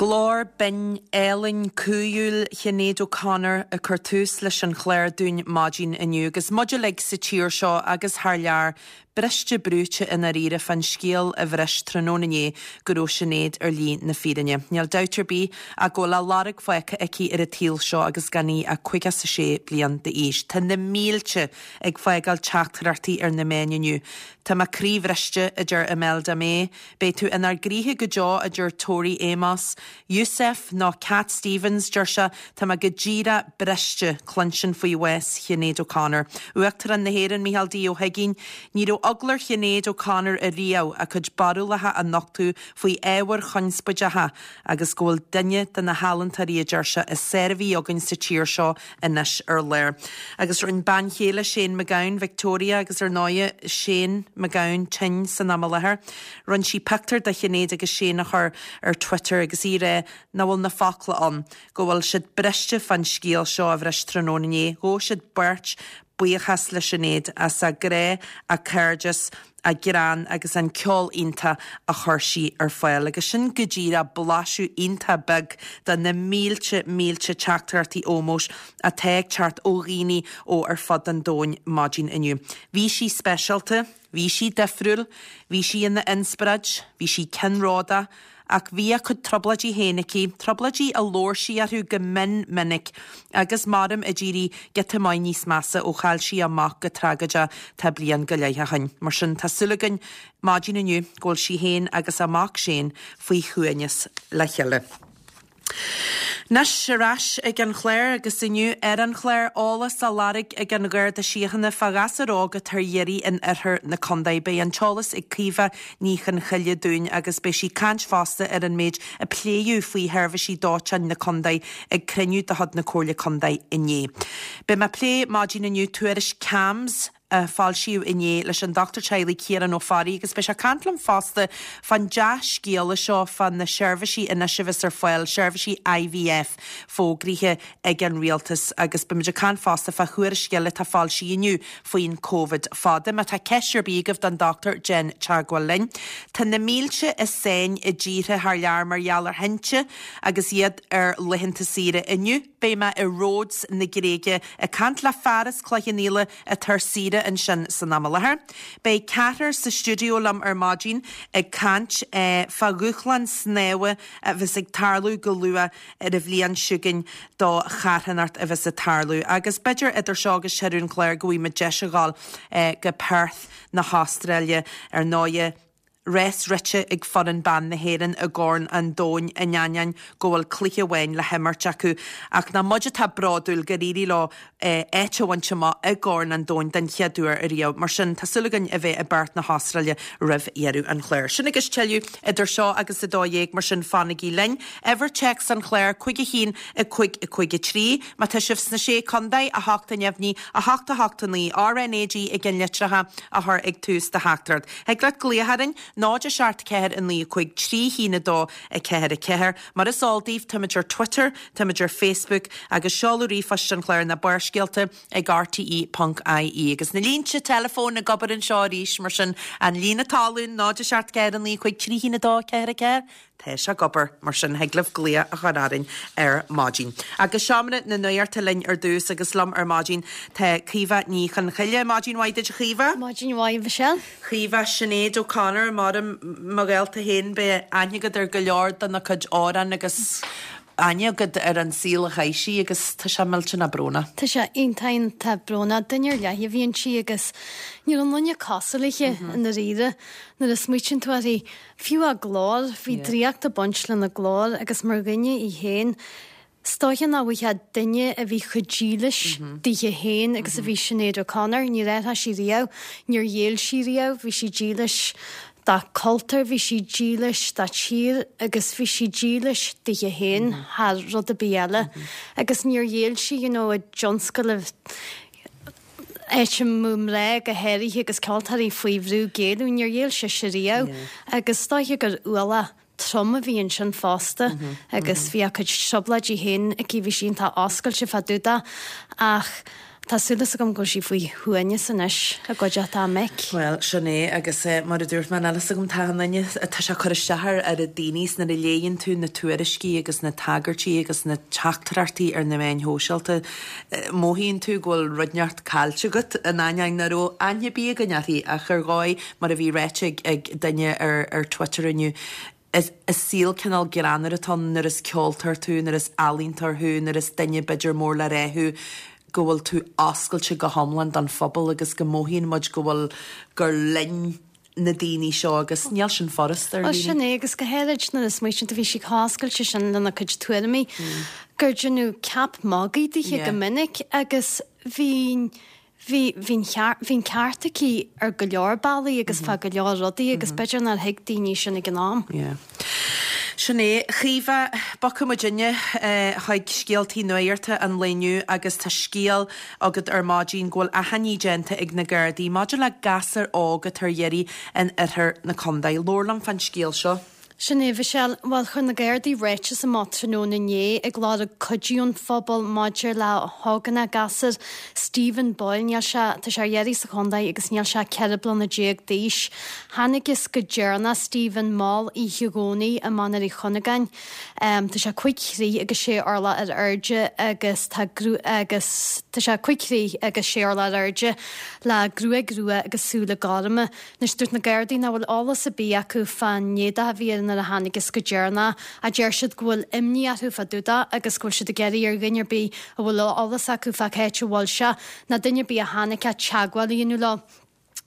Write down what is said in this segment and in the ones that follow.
Glór binn, álainn, cumhúil Shinéad O'Connor ag cur tús leis an chlár dúinn maidin inniu agus muid uilig sa tír seo agus thar lear briste brúite i ndáiríre fán scéal a bhris tráthnóna inné go raibh Sinéad ar shlí na fírinne. Níl dabht ar bith ach go bhfuil a lorg fágtha aici ar an tsaol seo agus gan í ach 56 bliain d'aois. Tá na mílte ag fágáil teachtaireachtaí ar na meáin inniu. Tá mé croíbhriste, a deir Imelda May. Beidh tú inár gcroíthe go deo, a deir Tori Amos. Yusef, nó Cat Stevens, deir sé, tá mé go díreach briste cluinstin faoi bhás Shinéad O'Connor. Uachtarán na hÉireann, Micheál D. Ó hUigínn, Ní raibh eagla ar Shinéad O'Connor ariamh a cuid barúlacha a nochtadh faoi ábhair chonspóideacha agus go bhfuil duine de na healaíontóirí, a deir sé, is fearr a bhí againn sa tír seo anois ar lár. Agus rinne bean chéile Shane MacGowan, Victoria, agus ar ndóighe Shane MacGowan tinn san am i láthair, rinne sí pictiúr de Shinéad agus Shane a chur ar Twitter agus í ag rá nach bhfuil na focla ann, go bhfuil siad briste fán scéal seo a bhris tráthnóna inné. Ghabh siad beirt buíochas le Sinéad as a grá, a cairdeas, a greann agus an ceol iontach a chuir sí ar fáil. Agus sin go díreach blaiseadh iontach beag de na mílte, mílte teachtaireachtaí ómóis atá ag teacht ó dhaoine ó ar fud an domhain maidin inniu. Bhí sí speisialta, bhí sí difriúil, bhí sí ina inspioráid, bhí sí ceannródach, Ach bhí a cuid trioblóidí féin aici, trioblóidí a labhair sí orthu go mion minic, agus maram ag éirí giota maith níos measa ó chaill sí a mac go tragóideach tá bliain go leith ó shin. Mar sin, tá súil againn maidin inniu go bhfuil sí féin agus a mac Shane faoi shuaimhneas le chéile. Anois, ar ais ag an chlár agus inniu ar an chlár, eolas á lorg ag an Gharda Síochána fá ghasúr óg atá ar iarraidh in oirthear na contae. Beidh an t-eolas ag Caoimhe Ní Chonchoille dúinn agus beidh sí ag caint fosta ar an méid a pléadh faoi sheirbhísí dóiteáin na contae ag cruinniú de chuid na Comhairle Contae inné. Beidh mé ag plé maidin inniu tuairisc CAMHS, a foilsíodh inné leis an Dochtúir Teaghlaigh Ciarán Ó Fearraigh agus beidh sé ag caint liom fosta fán dea-scéala seo fá na seirbhísí anois a bheas ar fáil, seirbhísí IVF fógraithe ag an Rialtas agus beimid ag caint fosta fá thuairisc eile atá foilsithe inniu faoin Covid fada. Má tá ceist ar bith agaibh don dochtúir déan teagmháil linn. Tá na mílte i sáinn i dtíortha thar lear mar gheall ar thinte agus iad ar laethanta saoire inniu. Beidh mé i Rhodes na Gréige ag caint le fear as Cloich Cheann Fhaola atá ar saoire ansin san am i láthair. Beidh ceathrar sa stiúideo liom ar maidin ag caint fá dhúshlán snámha a bheas ag tarlú go luath ar an bhliain seo chugainn do charthanacht a bheas ag tarlú. Agus b'fhéidir idir seo agus deireadh an chláir go bhfaighidh muid deis a dhul go Perth na hAstráile ar ndóighe. Rás rite ag foireann ban na hÉireann i gCorn an Domhain in ainneoin go bhfuil cluiche amháin le himirt acu. Ach nach muid atá bródúil gur éirigh leo áit a bhaint amach i gCorn an Domhain den chéad uair ariamh. Mar sin, tá súil againn a bheith i bPerth na hAstráile roimh dheireadh an chláir. Sin agus tuilleadh idir seo agus 12, mar sin fanaigí linn. Uimhir téacs an chláir, 5 1 5 5 3. Má tá sibh sna Sé Contae, 8 neamhní, 8 8 9, RnaG i gceannlitreacha a chur ag tús do theachtaireacht. Thig leat glaoch orainn, 0 7 4 9 5 3 1 2 4 4. Mar is eol daoibh, táimid ar Twitter, táimid ar Facebook agus seoladh ríomhphoist an chláir ná Barrscéalta ag rte ponc ie. Agus na línte teileafóin ag obair anseo arís, mar sin an líne talún, 0 7 4 9 5 3 1 2 4 4. Tá sé ag obair, mar sin thig libh glaoch a chur orainn ar maidin. Agus Seomra na Nuachta linn ar dtús agus liom ar maidin tá Caoimhe Ní Chonchoille. Maidin mhaith duit a Chaoimhe. Maidin mhaith Michelle. Caoimhe, Sinéad O'Connor, maram mo ghaolta féin beidh aithne agat ar go leor de na cuid amhrán agus aithne agat ar an saol a chaith sí agus tá sé millteanach brónach. Tá sé iontach iontach brónach. Duine ar leith a bhí inti agus ní raibh aon duine cosúil léi i ndáiríre nuair a smaoitíonn tú uirthi. Fiú a glór, bhí draíocht ag baint lena glór agus mar dhuine í féin, is dóiche nach bhfaighfeá duine a bhí chomh dílis daoithe féin agus a bhí Sinéad O'Connor. Níor athraigh sí riamh, níor ghéill sí riamh, bhí sí dílis dá cultúr, bhí sí dílis dá tír agus bhí sí dílis daoithe féin thar rud ar bith eile. Agus níor ghéill sí, you know, i dtionscal áit a mbeadh mná go háirithe agus ceoltóirí faoi bhrú géilleadh, níor ghéill sise riamh agus is dóiche gur ualach trom a bhí ansin fosta agus bhí a cuid trioblóidí féin aici, bhí sí iontach oscailte fá dtaobh de ach. Tá súil agam go bhfuil sí faoi shuaimhneas anois i gcuideachta a mic. Bhuel, sin é, agus mar a dúirt mé, níl fhios agam, tá an duine, tá sé ag cur isteach ar oiread daoine is nuair a léigheann tú na tuairiscí agus na tagairtí agus na teachtaireachtaí ar na meáin shóisialta, mothaíonn tú go bhfuil rud inteacht caillte agat, in ainneoin nach raibh aithne ar bith againn uirthi, ach ar dhóigh, mar a bhí ráite ag duine ar Twitter inniu, Is saol cineál greannmhar atá ann nuair is ceoltóir tú, nuair is ealaíontóir thú, nuair is duine b'fhéidir mór le rá thú, go bhfuil tú oscailte go hiomlán don phobal agus go mothaíonn muid go bhfuil, gur linn na daoine seo agus níl sin furasta ar Bhuel sin é agus go háirid nuair a smaoitíonn tú bhí sí chomh hoscailte sin lena cuid tuairimí gur deineadh ceap magaidh dithe go minic agus bhí Bhí, bhí an cheart, bhí an ceart aici ar go leor bealaí agus fá go leor rudaí agus b'fhéidir nár thuig daoine sin ag an am. Yeah. Sin é. A Chaoimhe, bogfaidh muidinne chuig scéaltaí nuachta an lae inniu agus tá scéal agat ar maidin go bhfuil achainí déanta ag na Gardaí maidir le gasúr óg atá ar iarraidh in oirthear na contae. Labhair liom fán scéal seo. Sin é, a Mhichelle. Bhuel, chuir na Gardaí ráiteas amach tráthnóna inné ag lorg cuidiú ón phobal maidir le hógánach, gasúr, Stephen Boyle. Níl sé, tá sé ar iarraidh sa chontae agus níl sé ach 14 bliana d'aois. Thángthas go deireanach Stephen mall oíche Dhomhnaigh i Mainéar Uí Chuinneagáin. Tá sé 5 throigh agus 6 orlach ar airde agus tá agus tá sé 5 throigh agus 6 orlach ar airde le gruaig rua agus súile gorma. Anois, dúirt na Gardaí nach bhfuil eolas ar bith acu fán éadach a bhí air nuair a thángthas go deireanach, ach deir siad go bhfuil imní orthu fá dtaobh de agus go bhfuil siad ag iarraidh ar dhuine ar bith a bhfuil eolas acu fá cá háit a bhfuil sé, nó duine ar bith a chonaic é teagmháil a dhéanamh leo.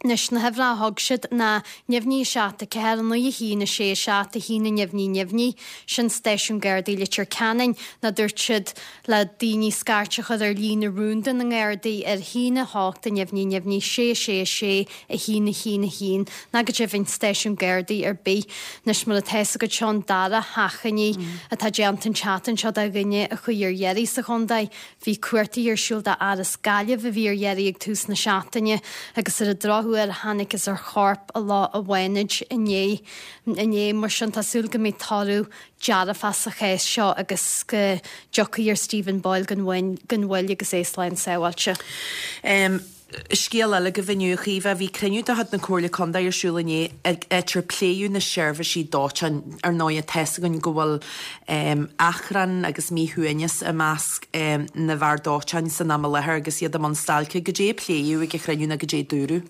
Anois, na huimhreacha a thug siad ná neamhní 7 4 9 1 6 7 1 neamhní neamhní, sin stáisiún Gardaí Leitir Ceanainn, nó dúirt siad le daoine scairt a chur ar líne rúnda na nGardaí ar 1 8 neamhní neamhní 6 6 6 1 1 1, nó go deimhin stáisiún Gardaí ar bith. Anois mar atá fhios agat seo an dara hachainí atá déanta an tseachtain seo do dhuine a chuaigh ar iarraidh sa chontae. Bhí cuartaigh ar siúl do fhear as Gaillimh a bhí ar iarraidh ag tús na seachtaine agus ar an drochuair thángthas ar chorp i Loch an Bhánaid inné. Inné mar sin tá súil go mbeidh toradh dearfach sa chás seo agus go dtiocfaidh ar Stephen Boyle gan mhoill agus é slán sábháilte. Scéal eile agaibh inniu, a Chaoimhe, bhí cruinniú de chuid na Comhairle Contae ar siúl inné, áit ar pléadh na seirbhísí dóiteáin. Ar ndóigh, tá fhios againn go bhfuil achrann agus míshuaimhneas i measc na bhfear dóiteáin san am i láthair agus iad i mbun stailce. Goidé a pléadh ag an chruinniú nó goidé a dúradh?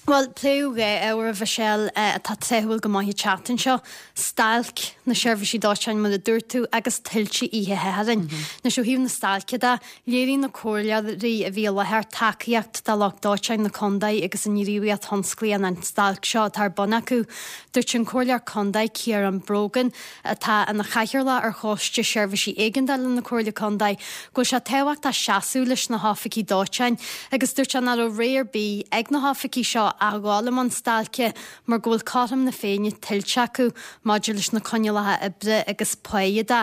Bhuel, pléadh dhá ábhar, a Mhichelle, atá tráthúil go maith an tseachtain seo, stailc na seirbhísí dóiteáin, mar a dúirt tú, agus tuilte oíche Shathairn. Anois, ó thaobh na stailce de, léirigh na comhairleoirí a bhí i láthair tacaíocht do lucht dóiteáin na contae agus a ngníomhaíocht thionsclaíoch an stailc seo atá ar bun acu. Dúirt an Comhairleoir Contae, Ciarán Brogan, atá ina chathaoirleach ar Choiste Seirbhísí Éigeandála na Comhairle Contae, go bhfuil sé tábhachtach seasamh leis na hoifigigh dóiteáin agus dúirt sé nach raibh rogha ar bith ag na hoifigigh seo ach a dhul i mbun stailce mar go bhfuil cothrom na Féinne tuillte acu maidir leis na coinníollacha oibre agus páighe de.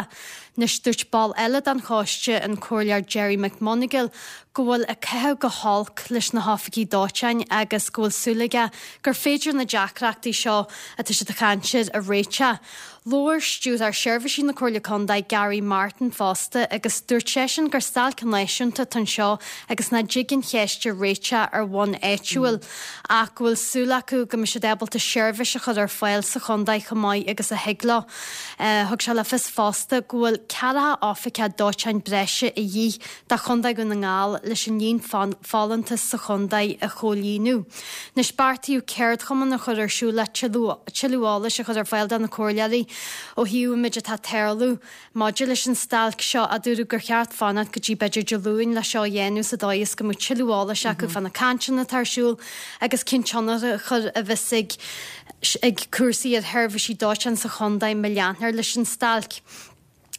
Anois dúirt ball eile den choiste, an Comhairleoir Gerry McMonagle, go bhfuil ag caitheamh go holc leis na hoifigigh dóiteáin agus go bhfuil súil aige gur féidir na deacrachtaí seo atá siad ag caint air a réiteach. Labhair Stiúrthóir Seirbhísí na Comhairle Contae, Gary Martin, fosta agus dúirt seisean gur stailc náisiúnta atá anseo agus nach dtig an cheist a réiteach ar bhonn áitiúil ach go bhfuil súil acu go mbeidh siad ábalta seirbhís a chur ar fáil sa chontae chomh maith agus a thig leo. Thug sé le fios fosta go bhfuil ceathracha oifigeach dóiteáin breise a dhíth do Chontae Dhún na nGall leis an líon folúntas sa chontae a chomhlíonadh. Anois beartaíodh ceardchumann a chur ar siúl le tuilleadh eolais a chur ar fáil do na comhairleoirí ó thaobh an méid atá ag tarlú maidir leis an stailc seo ach dúradh gur cheart fanacht go dtí b'fhéidir Dé Luain le seo a dhéanamh sa dóigh is go mbeadh tuilleadh eolais acu fá na cainteanna atá ar siúl agus cén tionchar a bheas ag ag cúrsaí ar sheirbhísí dóiteáin sa chontae má leantar leis an stailc.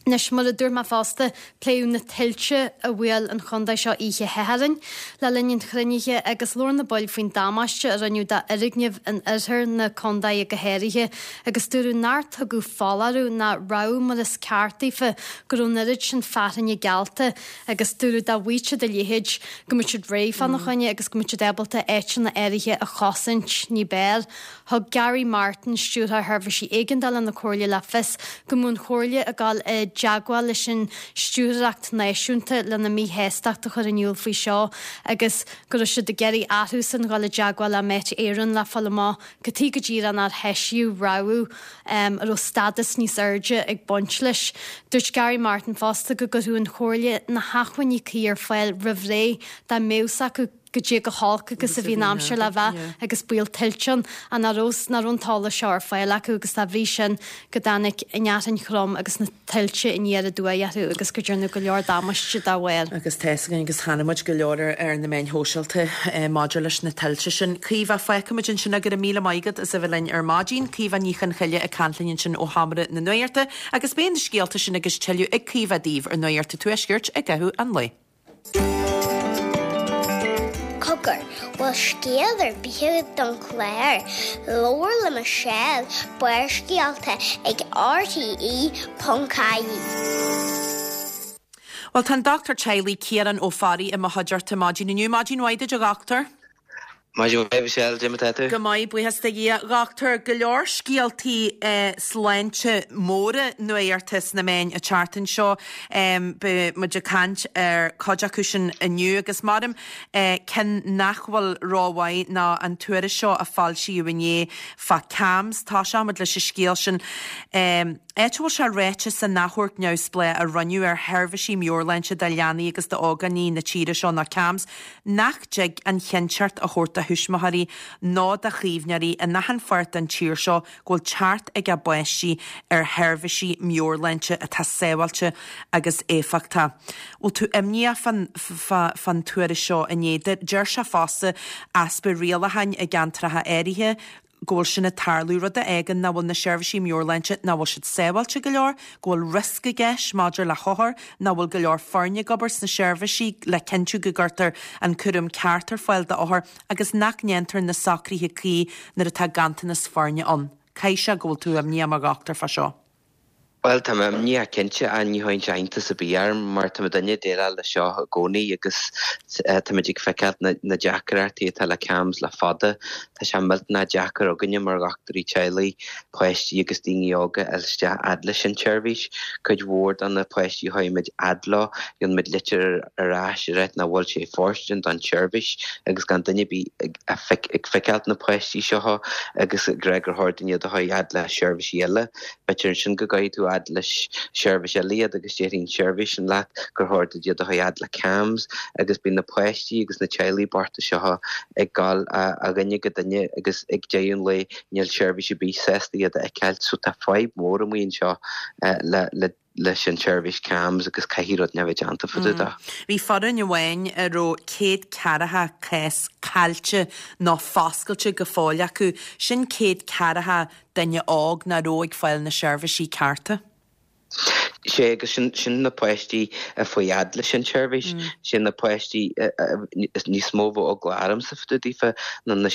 Anois, mar a dúirt mé fosta, pléadh na tuilte a bhuail an chontae seo oíche Shathairn le linn an chruinnithe agus labhair na baill faoin damáiste a rinneadh d'fhoirgnimh in oirthear na contae go háirithe agus dúradh nár tugadh foláireamh ná rabhadh mar is ceart daofa go raibh an oiread sin fearthainne geallta agus dúradh dá bhfaigheadh siad a leithéid go mbeadh siad réidh fána choinne agus go mbeadh siad ábalta áiteanna áirithe a chosaint ní b'fhearr. Thug Gary Martin, Stiúrthóir Sheirbhísí Éigeandála na Comhairle le fios go mbeadh an Chomhairle ag dul i dteagmháil leis an Stiúrthóireacht Náisiúnta lena míshástacht a chur in iúl faoi seo agus go raibh siad ag iarraidh orthusan dhul i dteagmháil le Met Éireann le fáil amach cad chuige go díreach nár heisíodh rabhadh a raibh stádas níos airde ag baint leis. Dúirt Gary Martin fosta go gcuirfeadh an Chomhairle na hacmhainní cuí ar fáil roimh ré dá mbeadh 's acu goidé chomh holc agus a bhí an aimsir le bheith agus baol tuilte ann ach nach raibh nach raibh an t-eolas seo ar fáil acu agus dá bhrí sin go dtáinig an fhearthainn throm agus na tuilte aniar aduaidh orthu agus go ndearnadh go leor damáiste dá bharr. Agus tá 'fhios againn agus chonaic muid go leor ar na meáin shóisialta maidir leis na tuilte sin. Caoimhe, fágfaimid ansin é, go raibh míle maith agat as a bheith linn ar maidin. Caoimhe Ní Chonchoille ag caint linn ansin ó Sheomra na Nuachta agus beidh na scéalta sin agus tuilleadh ag Caoimhe daoibh ar Nuacht an Tuaiscirt i gcaitheamh an lae. Cogar, bhfuil scéal ar bith agat don chlár? Labhair le Michelle, Barrscéalta ag RTE.ie. Bhuel, tá an Dochtúir Teaghlaigh Ciarán Ó Fearraigh i mo chuideachta maidin inniu. Maidin mhaith duit, a dhochtúir. Maidin mhaith, Michelle, cad é mar atá tú? Go maith, buíochas do Dhia. Dhochtúir, go leor scéaltaí sláinte móra nuachta sna meáin an tseachtain seo. Beidh muid ag caint ar cuid acu sin inniu agus maram ceann nach bhfuil rómhaith ná an tuairisc seo a foilsíodh inné fá CAMHS. Tosóidh muid leis an scéal sin. Áit a bhfuil sé ráite san achomharc neamhspleách a rinneadh ar sheirbhísí meabhairshláinte do leanaí agus d'ógánaigh na tíre seo nó CAMHS, nach dtig an chinnteacht a thabhairt do thuismitheoirí nó do chaomhnóirí in achan pháirt den tír seo go bhfuil teacht ag a bpáistí ar sheirbhísí meabhairshláinte atá sábháilte agus éifeachtach. Bhfuil tú imníoch fán tuairisc seo inné? Deir sé fosta easpa rialacháin i gceantracha áirithe, go bhfuil sin ag tarlú, rud a fhágann nach bhfuil na seirbhísí meabhairshláinte, nach bhfuil siad sábháilte go leor, go bhfuil riosca i gceist maidir le hothair, nach bhfuil go leor foirne ag obair sna seirbhísí le cinntiú go gcuirtear an cúram ceart ar fáil d'othair agus nach ndéantar na socruithe cuí nuair atá ganntanas foirne ann. Caithfidh sé go bhfuil tú imníoch mar dhochtúir fá seo. Bhuel, tá mé imníoch cinnte, ach ní chuireann sé iontas ar bith orm mar tá muidinne ag déileáil leis seo i gcónaí agus táimid ag feiceáil na deacrachtaí atá le CAMHS le fada. Tá sé millteanach deacair againne mar dhochtúirí teaghlaigh páistí agus daoine óga a fháil isteach fhad leis an tseirbhís. Cuid mhór de na páistí a chuaigh muid fhad leo, gheobhann muid litir ar ais ag ráit nach bhfuil sé fóirstean don tseirbhís agus gan duine ar bith ag feiceáil na páistí seo agus ag rá gur chóir dúinn iad a chur fhad le seirbhísí eile. B'fhéidir ansin go gcuirfidh tú fhad le seirbhís eile iad agus déarfaidh an tseirbhís sin leat gur chóir duit iad a chur fhad le CAMHS agus bíonn na páistí agus na teaghlaigh bochta seo ag gabháil ó dhuine go duine agus ag deireadh an lae níl seirbhís ar bith sásta iad a fheiceáil so tá fadhb mhór amuigh anseo le leis an tseirbhís CAMHS agus caithfidh rud inteacht a bheith déanta fá dtaobh de. Bhí foireann amháin a raibh 140 cás caillte nó foscailte go fóill acu, sin 140 duine óg nach raibh ag fáil na seirbhísí cearta. Sé agus sin, sin na páistí a fuaigh fhad leis an tseirbhís, sin na páistí níos mó a bheadh eagla ormsa fá dtaobh daofa ná na,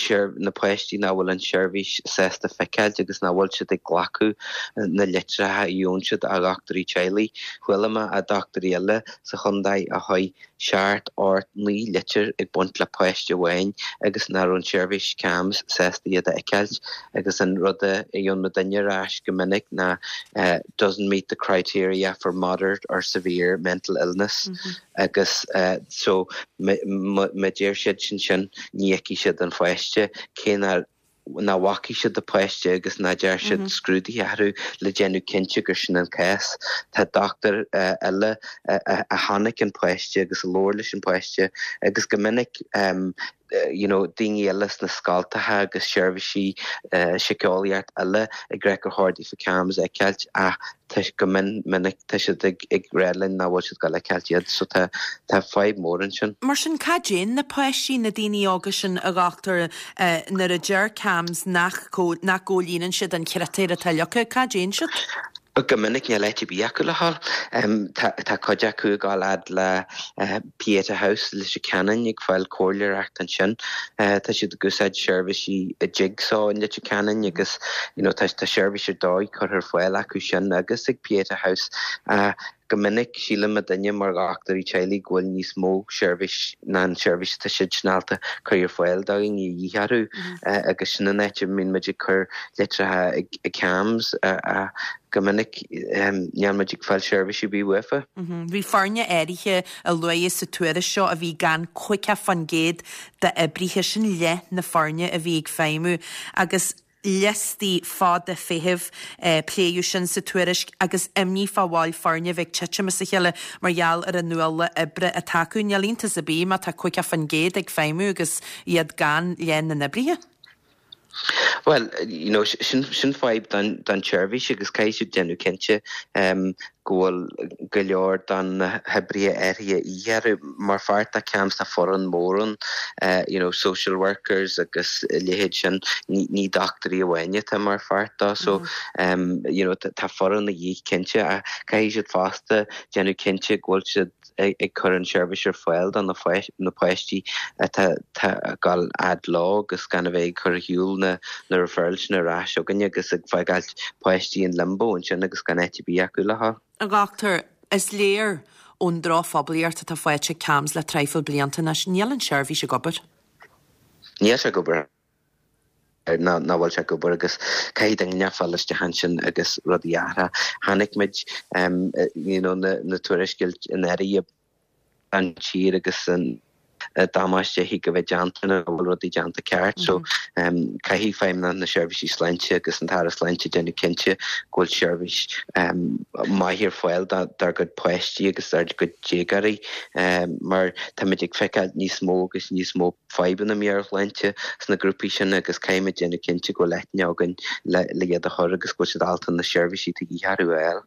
na páistí nach bhfuil an tseirbhís sásta feiceáilt agus nach bhfuil siad ag glacadh na litreacha a gheobhann siad ó dhochtúirí teaghlaigh. Chuala mé ó dhochtúirí eile sa chontae a chuir seacht, ocht, 9 litir ag baint le páiste amháin agus nach raibh an tseirbhís CAMHS sásta iad a fheiceáilt agus an rud a gheobhann muidinne ar ais go minic ná doesn't meet the criteria for moderate or severe mental illness agus so má deir siad sin sin ní fheicfidh siad an pháiste cé nach nach bhfacaidh siad an páiste agus nach ndearna siad scrúduithe orthu le déanamh cinnte gur sin an cás. Tá dochtúir eile a chonaic an páiste agus a labhair leis an bpáiste agus go minic you know daoine eile sna scoltacha agus seirbhísí síceolaíocht eile ag rá gur chóir daofa CAMHS a fheiceáilt ach tá go mion minic tá siad ag ag rá linn nach bhfuil siad ag gabháil a fheiceáilt iad so tá tá fadhb mhór ansin. Mar sin cad déanann na páistí, na daoine óga sin a dhochtúir nuair a deir CAMHS nach nach gcomhlíonann siad an chritéir atá leagtha, cad déanann siad? Go minic níl áit ar bith acu le dhul. Tá tá cuid acu ag gabháil fhad le Pieta House i Leitir Ceanainn ag fáil comhairleoireacht ansin. Tá siad ag úsáid seirbhísí Jigsaw in Leitir Ceanainn agus you know tá tá seirbhís ar dóigh curtha ar fáil acu sin agus ag Pieta House. Go minic síleann muidinne mar dhochtúirí teaghlaigh go bhfuil níos mó seirbhís ná an seirbhís atá siad ábalta cur ar fáil do dhaoine a dhíth orthu agus sin an áit a mbíonn muid ag cur litreacha ag CAMHS go minic níl muid ag fáil seirbhís ar bith uafa. Bhí foirne áirithe a luadh sa tuairisc seo a bhí gan 50% d'oibrithe, sin leath na foirne a bhí ag feidhmiú agus liostaí fada feithimh, pléadh sin sa tuairisc agus imní fá bhaill foirne a bheith ag titim as a chéile mar gheall ar an ualach oibre atá acu. Níl iontas ar bith má tá 50% ag feidhmiú agus iad gan leath na n-oibrithe. Bhuel, you know, sin, sin fadhb don, don tseirbhís agus caithfidh siad déanamh cinnte go bhfuil go leor de na hoibrithe áirithe a dhíth orthu. Mar pháirt de CAMHS tá foireann mór ann, you know, social workers agus a leithéid sin, ní, ní dochtúirí amháin atá mar pháirt dó. So, you know, tá foireann a dhíth cinnte ach caithfidh siad fosta déanamh cinnte go bhfuil siad, ag cur an seirbhís ar fáil do na páistí atá ag dul fhad leo agus gan a bheith ag cur ar shiúl na referrals sin ar ais chugainne agus ag fágáilt páistí in limbo ansin agus gan áit ar bith acu le dhul. A dhochtúir, is léir ón drochphoiblíocht atá faighte ag CAMHS le traidhfil blianta anois, níl an tseirbhís ag obair. Níl sé ag obair. ná nach bhfuil sé ag obair agus caithfidh duine fáil isteach ansin agus rudaí a athrú. Chonaic muid you know na tuairiscí in áirithe an tír agus an damáiste a thig a bheith déanta nach bhfuil rudaí déanta ceart. So caithfidh Feidhmeannacht na Seirbhísí Sláinte agus an tAire Sláinte déanamh cinnte go bhfuil seirbhís maith ar fáil dár gcuid páistí agus dár gcuid déagóirí mar táimid ag feiceáil níos mó agus níos mó fadhbanna meabhairshláinte sna grúpaí sin agus caithfimid déanamh cinnte go bhfuil aithne againn le iad a chur agus go bhfuil siad ábalta na seirbhísí atá de dhíth orthu a fháil.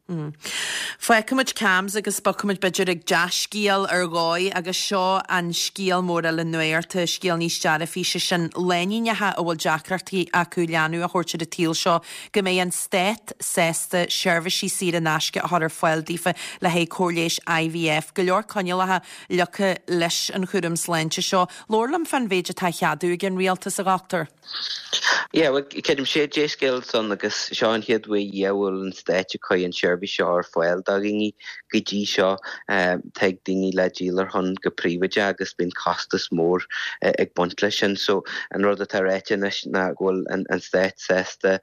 Fágfaimid CAMHS agus bogfaimid b'fhéidir ag dea-scéal ar dhóigh agus seo an scéal mór eile nuachta, scéal níos dearfaí, sé sin lánúineacha a bhfuil deacrachtaí acu leanbh a thabhairt ar an tsaol seo, go mbeidh an Stát sásta seirbhísí saor in aisce a chur ar fáil daofa le haghaidh cóir leighis IVF. Go leor coinníollacha leagtha leis an chúram sláinte seo. Labhair liom fán mhéid atá á cheadú ag an rialtas, a dhochtúir. Yeah, bhuel, creidim sé dea-scéal san agus seo an chéad uair a bhfuil an Stát ag cur an tseirbhís seo ar fáil do dhaoine. Go dtí seo, tig daoine le díol ar shon go príobháideach agus bíonn costas mór ag baint leis sin. So, an rud atá ráite anois ná go bhfuil an Stát sásta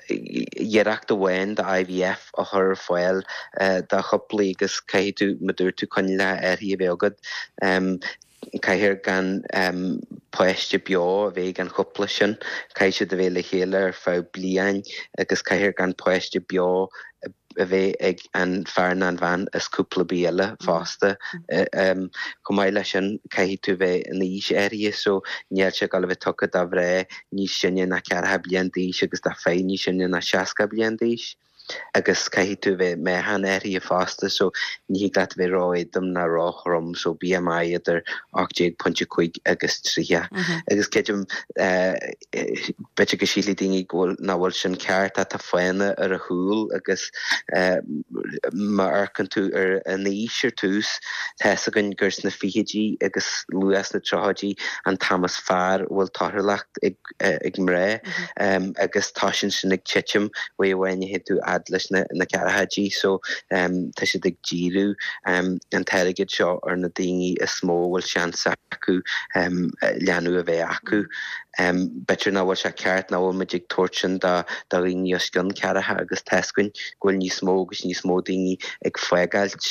iarracht amháin de IVF a chur ar fáil do chúplaí agus caithfidh tú, mar dúirt tú, coinníollacha áirithe a bheith agat. Caithfear gan páiste beo a bheith ag an chúpla sin, caithfidh siad a bheith le chéile ar feadh bliain agus caithfear gan páiste beo a bheith ag an fear ná an bhean is cúpla ar bith eile fosta. Chomh maith leis sin, caithfidh tú bheith in aois áirithe so níl sé ag dul a bheith tugtha do mhná níos sine ná ceathracha bliain d'aois agus do fir níos sine ná 60 bliain d'aois. Agus caithfidh tú bheith meáchan áirithe fosta so ní thig leat a bheith ró-éadrom ná ró-throm so BMI idir 18.5 agus 30. Agus creidim B'fhéidir go sílfidh daoine go bhfuil, nach bhfuil sin ceart ach tá fáthanna ar a chúl agus má amharcann tú ar an aois ar tús, tá fhios againn gur sna fichidí agus luath sna tríochaidí an t-am is fearr a bhfuil torthúlacht ag mná agus toisíonn sin ag titim uair amháin a théann tú fhad leis na ceathrachaidí so tá siad ag díriú an t-airgead seo ar na daoine is mó a bhfuil seans acu leanbh a bheith acu. B'fhéidir nach bhfuil sé ceart nach bhfuil muid ag tabhairt sin do dhaoine os cionn ceathracha agus tá fhios againn go bhfuil níos mó agus níos mó daoine ag fágáilt,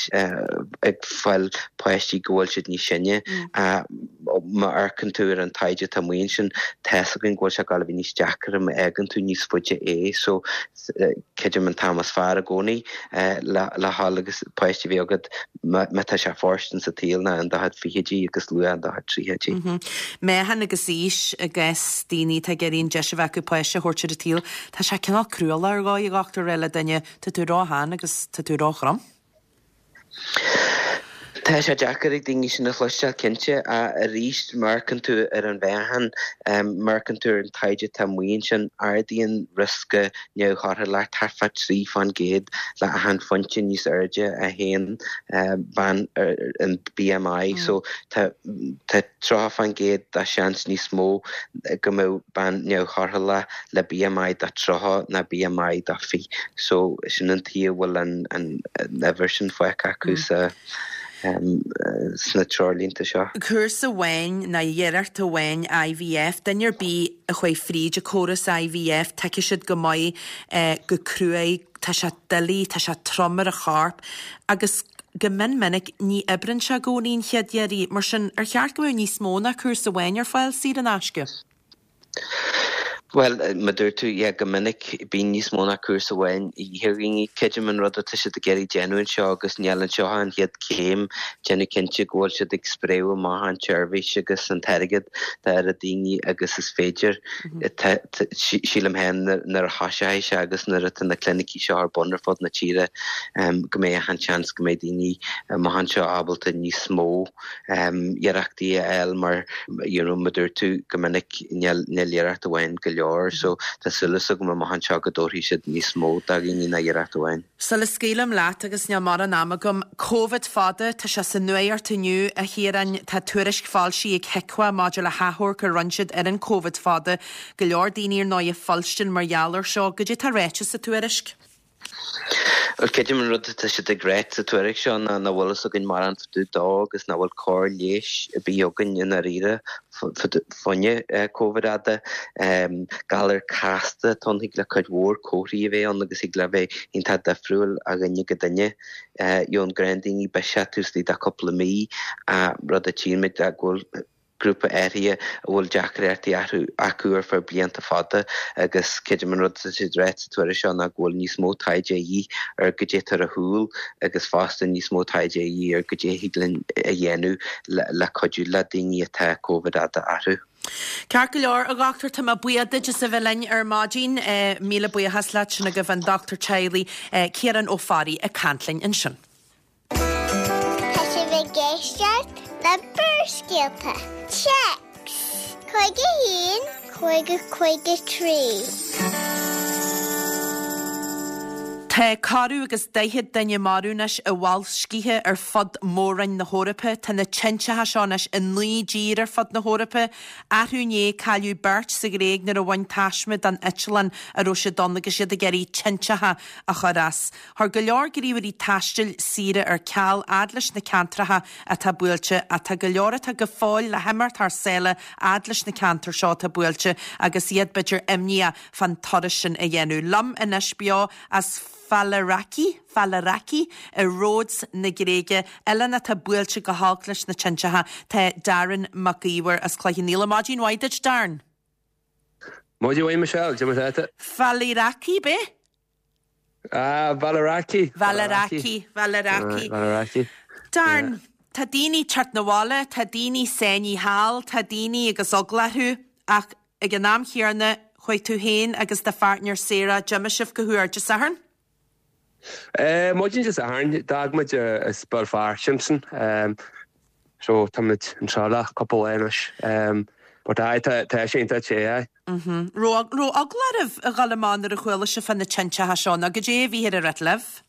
ag fáil páistí go bhfuil siad níos sine. Má amharcann tú ar an taighde atá amuigh ansin, tá fhios againn go bhfuil sé ag dul a bheith níos deacra má fhágann tú níos faide é. So creidim an t-am is fearr i gcónaí le dhul agus páiste a bheith agat má tá sé fóirstean sa tsaol ná in do chuid fichidí agus luath in do chuid tríochaidí. Meáchan agus aois i gcás daoine atá ag iarraidh an deis a bheith acu páiste a thabhairt ar an tsaol, tá sé cineál cruálach ar dhóigh, a dhochtúir, a rá le duine, tá tú ró-shean agus tá tú ró-throm. Tá sé deacair ag daoine sin a chloisteáil, cinnte, ach arís, má amharcann tú ar an mheáchan, má amharcann tú ar an taighde atá amuigh ansin, ardaíonn riosca neamhthorthúlacht thart fá 3% le achan phointe níos airde a théann bean ar an BMI. So tá 30% de sheans níos mó go mbeadh bean neamhthorthúlach le BMI de 30 ná BMI de 20. So sin an tuige a bhfuil an uimhir sin fágtha acu sa sna treoirlínte seo. Cúrsa amháin nó iarracht amháin IVF, duine ar bith a chuaigh fríd an córas IVF, tuigfidh siad go maith go cruaidh, tá sé doiligh, tá sé trom ar an chorp agus go mion minic ní oibreann sé i gcónaí an chéad iarraidh. Mar sin, ar cheart go mbeadh níos mó ná cúrsa amháin ar fáil saor in aisce? Bhuel, mar a dúirt tú, yeah, go minic bíonn níos mó ná cúrsa amháin a dhíth ar dhaoine. Creidim an rud atá siad ag iarraidh déanamh anseo agus níl anseo ach an chéad céim, déanamh cinnte go bhfuil siad ag spréadh amach an tseirbhís agus an t-airgead dá oiread daoine agus is féidir. Sílim féin nuair a thoiseoidh sé agus nuair atá na clinicí seo ar bun ar fud na tíre go mbeidh achan seans go mbeidh daoine amach anseo ábalta níos mó iarrachtaí a fháil mar you know mar a dúirt tú go minic níl níl iarracht amháin go leor so tá súil agam amach anseo go dtabharfaidh siad níos mó do dhaoine ná iarracht amháin. Sula scaoilim leat, agus níl mórán ama agam, Covid fada, tá sé sa nuacht inniu, a Chiaráin, tá tuairisc foilsithe ag HIQA maidir le hachomharc a rinne siad ar an Covid fada, go leor daoine ar ndóigh ag fuilstin mar gheall air seo. Goidé tá ráite sa tuairisc? Bhuel, creidim an rud atá siad ag ráit sa tuairisc seo ná nach bhfuil fhios againn mórán fá dtaobh dó agus nach bhfuil cóir leighis ar bith againn i ndáiríre fá choinne Covid fhada. Galar casta atá ann, thig le cuid mhór comharthaí a bheith ann agus thig le bheith iontach difriúil ó dhuine go duine. Gheobhann gnáthdhaoine biseach taobh istigh de chúpla mí, rud a tchíonn muid go bhfuil grúpa áirithe a bhfuil deacrachtaí acu ar feadh blianta fada agus creidim an rud atá siad ag ráit sa tuairisc seo ná go bhfuil níos mó taighde a dhíth ar goidé atá ar siúl agus fosta níos mó taighde a dhíth ar goidé a thig linn a dhéanamh le cuidiú le daoine atá Covid fhada orthu. Ceart go leor, a dhochtúir, tá mé buíoch duit as a bheith linn ar maidin. Míle buíochas leat, sin agaibh an dochtúir teaghlaigh, Ciarán Ó Fearraigh ag caint linn ansin. Tá sibh ag éisteacht le Barrscéalta. Téacs 51 50 53. Tá corradh agus 40 duine marbh anois i mboilscithe ar fud mhór-roinn na hEorpa. Tá na tinteacha seo anois i 9 dtír ar fud na hEorpa. Arú inné, cailleadh beirt sa Ghréig nuair a bhain taisme den eitleán a raibh siad ann agus iad ag iarraidh tinteacha a chur as. Chuir go leor gníomhairí taistil saoire ar ceal fhad leis na ceantracha atá buailte ach tá go leor atá go fóill le himeacht thar sáile fhad leis na ceantair seo atá buailte agus iad b'fhéidir imníoch fán turas sin a dhéanamh. Liom anois beo as Faliraki, Faliraki i Rhodes na Gréige, oileán atá buailte go holc leis na tinteacha, tá Darren Mac Íomhair as Cloich Cheann Fhaola. Maidin mhaith duit, Darren. Maidin mhaith Michelle, cad é mar atá tú? Faliraki, b'é? Ah, Faliraki. Faliraki, Faliraki. Faliraki. Darren, tá daoine ag teacht 'na bhaile, tá daoine sáinnithe thall, tá daoine agus eagla orthu, ach ag an am chéanna, chuaigh tú féin agus do pháirtnéir Sarah, d'imigh sibh go huair Dé Sathairn? Eh, maidin Dé Sathairn, d'fhág muid as Béal Feirste ansin. So tá muid anseo le cúpla lá anois. But aye, tá tá sé iontach te, aye. Mhm. Raibh raibh eagla oraibh a dhul amach nuair a chuala sibh fá na tinteacha seo nó goidé a bhíthear ag rith libh?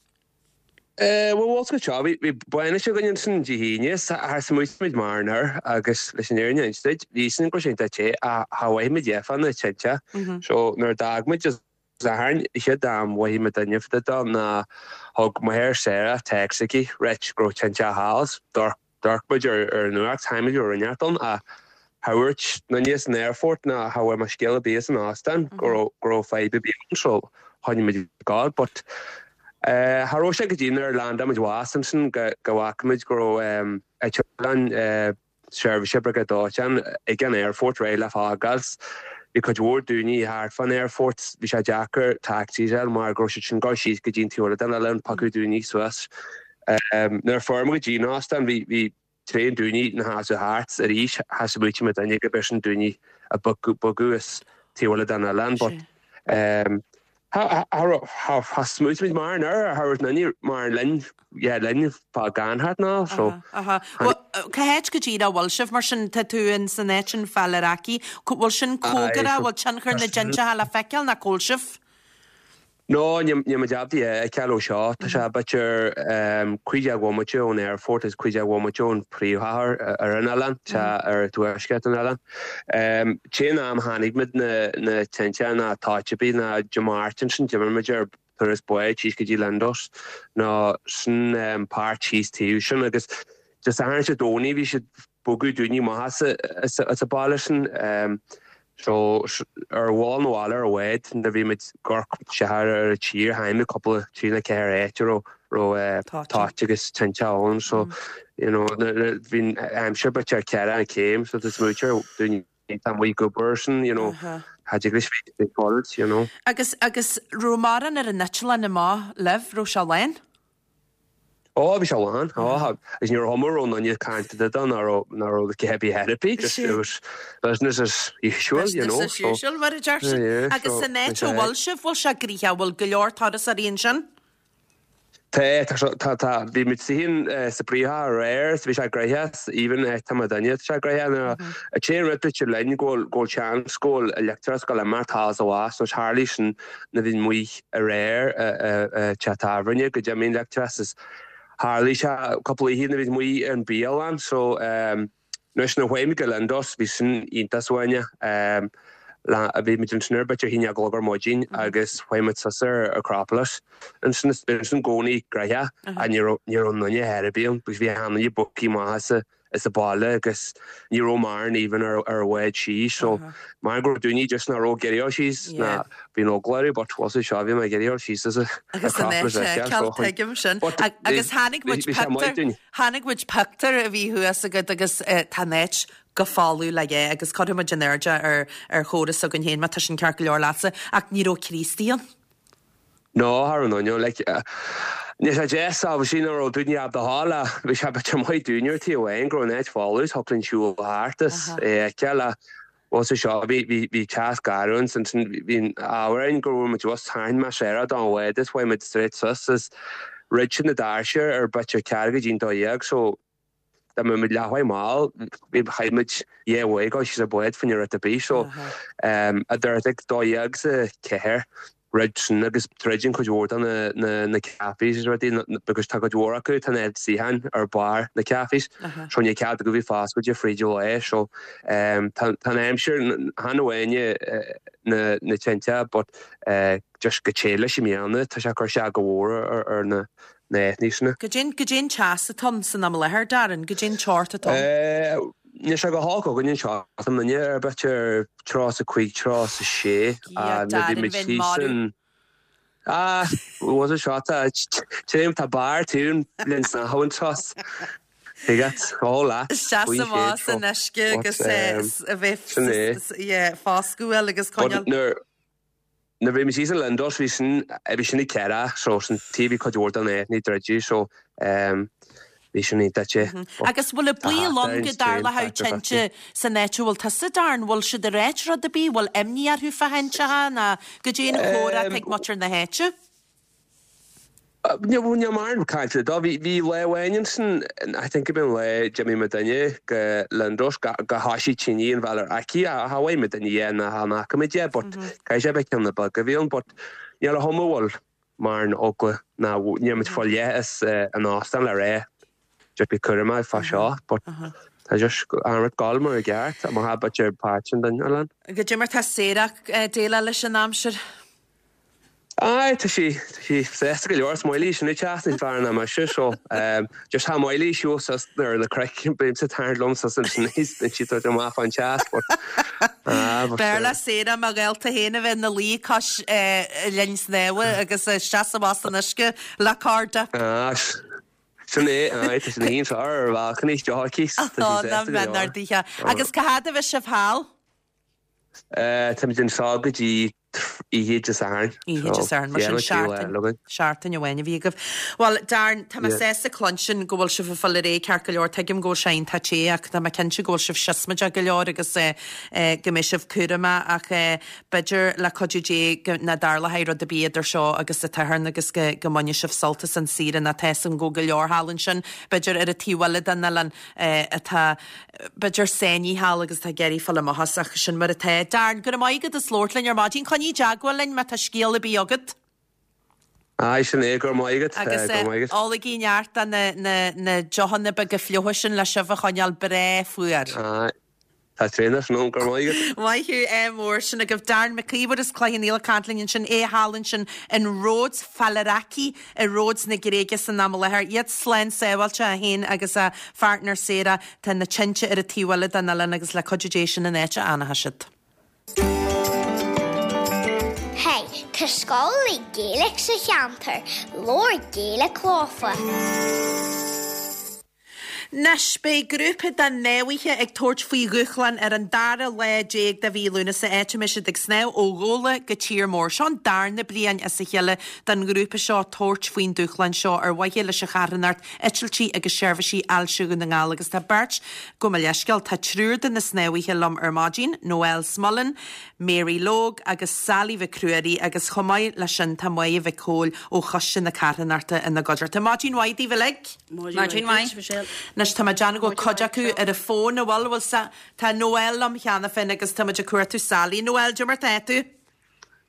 Eh, bhuel, bhfuil seo, bhí bhí bainis againn ansin Dé hAoine, is char smaoitigh muid mórán air agus leis an fhírinne a inse duit, bhí a fhios againn go raibh sé iontach te ach cha mhothaigh muid é fá na tinte. So nuair a d'fhág muid Dé Sathairn, chéad am mhothaigh muid duine fá dtaobh dó ná thug m'athair Sarah text chuici, ráit go raibh tinte thall. D'amharc muid ar an nuacht, char shíl muid go raibh rud inteacht ann ach cha dhúirt éinne san aerfort ná cha bhfuair mé scéal ar bith as an óstán go raibh go raibh fadhb ar bith ann so choinnigh muid ag gabháil but cha raibh sé go dtí nuair a landáil muid abhus ansin go go bhfaca muid go raibh eitleán seirbhíse briogáid dóiteáin ag an aerfort réidh le fágáil. Bhí cuid mhór daoine thart fán aerfort. Bhí sé deacair taxis a fháil mar go raibh siad sin ag dul síos go dtí an taobh eile den oileán piocadh daoine suas. Nuair a fuair muid go dtí an óstán bhí bhí tréan daoine ina sheasamh thart arís. Char smaoitigh muid duine go b'shin daoine a bogadh as taobh eile den oileán but. Tha smaointimid mar an ar tha raibh aon mar linn yeah linn fá gan thart ná so. Aha. Bhuel, cá háit go díreach a bhfuil sibh mar sin? Tá tú in san áit sin Faliraki. Bhfuil sin cóngarach, bhfuil tionchar na dtintreacha le feiceáil ná cá bhfuil sibh? No, níl muid ábalta é a fheiceáil ó seo. Tá sé b'fhéidir 15 bhomaite ón aerfort agus 15 bhomaite ón príomhchathair ar an oileán, tá ar tuaisceart an oileáin. Tén am chonaic muid na tinte ná toit ar bith ná Dé Máirt ansin d'imigh muid ar turas báid síos go dtí Lindos nó sin páirt thíos taobh sin agus Dé Sathairn is Dé Domhnaigh bhí siad bogadh daoine amach as an baile sin. So ar bhall na bhaile ar an bhád nuair a bhí muid ag amharc siar ar an tír chonaic muid cúpla trí nó ceathair áit a raibh toit agus tinte ann so you know bhí an aimsir b'fhéidir ceithre an céim so tá smaointe ar daoine atá amuigh ag obair sin you know cha dtig leis bheith ag you know. Agus agus raibh mórán ar an eitleán amach libh, raibh sé lán? Ó, bhí sé lán. Ó, agus ní raibh chuma raibh aon duine ag caint duit ná raibh ná raibh a bith ar bith, just it was business as usual, you know. Business as usual, mar a deir siad. Agus san áit a bhfuil sibh, bhfuil sé gnoitheach, bhfuil go leor turasóirí ansin? Tá, tá, tá, tá, bhí muid féin sa bpríomhchathair aréir, so bhí sé gnoitheach, even tá muid inniu, tá sé gnoitheach. Nuair a téann rud duit linn go bhfuil, go bhfuil seans go bhfuil leictreachas ag dul imeacht thall is abhus, nó tharlaigh sin nuair a bhí muid aréir i teach tábhairne go d'imigh an leictreachas is tharlaigh sé cúpla oíche nuair a bhí muid ar an bialann so anois nuair a chuaigh muid go Lindos bhí sin iontach suaimhneach bhí muid ansin ar b'fhéidir a haon a chlog ar maidin agus chuaigh muid suas ar Acropolis ansin is bhí ansin i gcónaí gnoitheach ach ní raibh ní raibh aon duine ar bith ann because bhí achan duine bogtha amach as a as an baile agus ní raibh mórán even ar ar an bhád síos so mar go raibh daoine just nach raibh ag iarraidh dul síos ná bhí an eagla orthu but bhuel seo bhí mé ag iarraidh dul síos as Agus an áit a fheiceáil, tuigim sin. Agus chonaic muid pictiúr, chonaic muid pictiúr a bhí thuas agat agus tá an áit go folamh le dhé agus cuirfidh muid in airde ar ar chóras s'againn féin má tá sin ceart go leor leatsa ach ní raibh Críostaí ann. No, cha raibh aon duine, like, níl sé deas, obviously, nach raibh daoine ábalta a ghabháil ach bhí sé b'fhéidir maith dúinn ar taobh amháin go raibh an áit folamh is thiocfadh linn siúl thart is é a fheiceáil ach bhuel sa seo bhí, bhí, bhí teas garbh ann ansin bhí an ábhar ann go raibh muid abhus tharraing mé séire don bhád is chuaigh muid straight suas is dhruid siad na doirse ar b'fhéidir ceathrú go dtí'n 12 so Dá mbeadh muid leathuair mall, bhí, chaith muid dhá uair ag dul síos ar bád fá choinne rud ar bith so idir I think 12 's a ceathair dhruid sin agus druideann cuid mhór de na na na cafés is rudaí because tá cuid mhór acu tá na suíocháin ar barr na cafés so níl cead acu bheith foscailte fríd an lá so tá tá an aimsir chan amháin na na tinte but just go te leis i mbliana tá sé ag cur isteach go mhór ar ar na na háiteanna sin. Goidé, goidé an teas atá ann san am i láthair, Darren? Goidé an teocht atá ann? Níl sé go holc againn anseo, tá muidne ar b'fhéidir 35, 36 Dhia, nuair a bhí Darren, muid bheinn thíos marbh. in Ah, was it seo tá téim tá barr tún linn snámh anseo. Tuigeat, ó leat, Isteach faoin sa chéad bhás seo. san uisce agus But, a bheith sin é. yeah, foscadh uail agus But coinneáil. nuair Nuair a bhí muid thíos in Lindos bhí sin, bhí sin ag ceithre so sin taobh bhí cuid mhór den áit druidte so bhí sin iontach te. Agus bhfuil an baol ann go dtarlódh tinte san áit a bhfuil tusa Darren? Bhfuil siad ag ráit rud ar bith? Bhfuil imní orthu fá thintreacha nó goidé an chomhrá atá ag muintir na háite? Níl mórán cainte dó. Bhí lá amháin ansin, I think go b'in an lá d'imigh muidinne go Lindos go thoisigh tine an Faliraki ach cha bhfaighidh muidinne é ná chan fhaca muid é but caithfidh sé bheith ceann na beag a bhí ann but níl a chuma bhfuil mórán eagla ná níl muid fá leith as an óstán le rá just bí cúramach fá seo but tá just an rud ag gabháil mar i gceart má tá b'fhéidir páirt an duine oileán. Goidé mar tá Sarah ag déileáil leis an aimsir? Aye, tá sí, tá sí sásta go leor. Is maith léi sin an teas níos fearr ná mise, so just tá maith léi siúl suas ar na cnoic, bímse ag tarraingt liom suas ansin níos, bíonn sí ag tabhairt amach fán teas, but ah, but B'fhearr le Sarah mo ghaolta féin a bheith ina luí cois linn snámha agus isteach amach san uisce le cairde. Ah, sin é, aye, tá sí ina shuí anseo ar an bhalcony, deoch aici, tá sí Ó, sásta nach go leor. mbeinn ardaithe. Agus cá fhad a bheidh sibh thall? Táimid anseo go dtí. Oíche Dé Sathairn. Oíche Dé Sathairn, mar sin seachtain, seachtain amháin a bhí agaibh. Bhuel, Darren, tá mé sásta cluinstin go bhfuil sibh ag fáil ar aghaidh ceart go leor. Tuigim go bhfuil sé iontach te ach tá mé cinnte go bhfuil sibh siosmaideach go leor agus go mbeidh sibh cúramach ach b'fhéidir le cuidiú Dé go nach dtarlóidh rud ar bith idir seo agus an tSatharn agus go go mbainfidh sibh sult as an saoire nó tá 'fhios agam go bhfuil go leor thall ansin, b'fhéidir ar an taobh eile den oileán atá b'fhéidir sáinnithe thall agus tá ag iarraidh fáil amach as ach sin mar atá. Darren, go raibh maith agat as labhairt linn ar maidin. Coinnigh i dteagmháil linn má tá scéal ar bith agat. Aye, sin é, go raibh maith agat. Agus Go raibh maith agat. ólaigí neart de na, na, na deochanna beaga fliucha sin le sibh a choinneáil breá fuar. Aye, tá tréan san am, go raibh maith agat. Maith thú, ádh mór sin agaibh. Darren Mac Íomhair as Cloich Cheann Fhaola ag caint linn ansin, é thall ansin in Rhodes, Faliraki. I Rhodes na Gréige san am i láthair. Iad slán sábháilte, é féin agus a pháirtnéir Sarah. Tá na tinte ar an taobh eile den oileán agus le cuidiú Dé sin an áit a fhanfaidh siad. Hey, tá scoil le Gaeilge sa cheantar, labhair Gaeilge leofa. Anois, beidh grúpa de shnámhaithe ag tabhairt faoi dhúshlán ar an dara lá déag de mhí Lúnasa, áit a mbeidh siad ag snámh ó Ghabhla go Tír Mór. Seo an darna bliain as a chéile don ghrúpa seo tabhairt faoin dúshlán seo ar mhaithe leis an charthanacht Eitiltí agus Seirbhísí Ailse Dhún na nGall agus tá beirt, gabh mo leithscéal, tá triúr de na snámhaithe liom ar maidin, Noelle Smullen, Mary Logue agus Sally Mhic Ruairí agus chomh maith leis sin tá Máire Mhic Cóil ó Choiste na Carthanachta ina gcuideachta. Maidin mhaith daoibh uilig! Maidin mhaith. Michelle. Anois tá mé ag déanamh go bhfuil cuid acu ar an bhfón, an bhfuil? Bhfuil sa, tá Noelle liom cheana féin agus tá muid ag cuartú Sally. Noelle, cad é mar tá tú?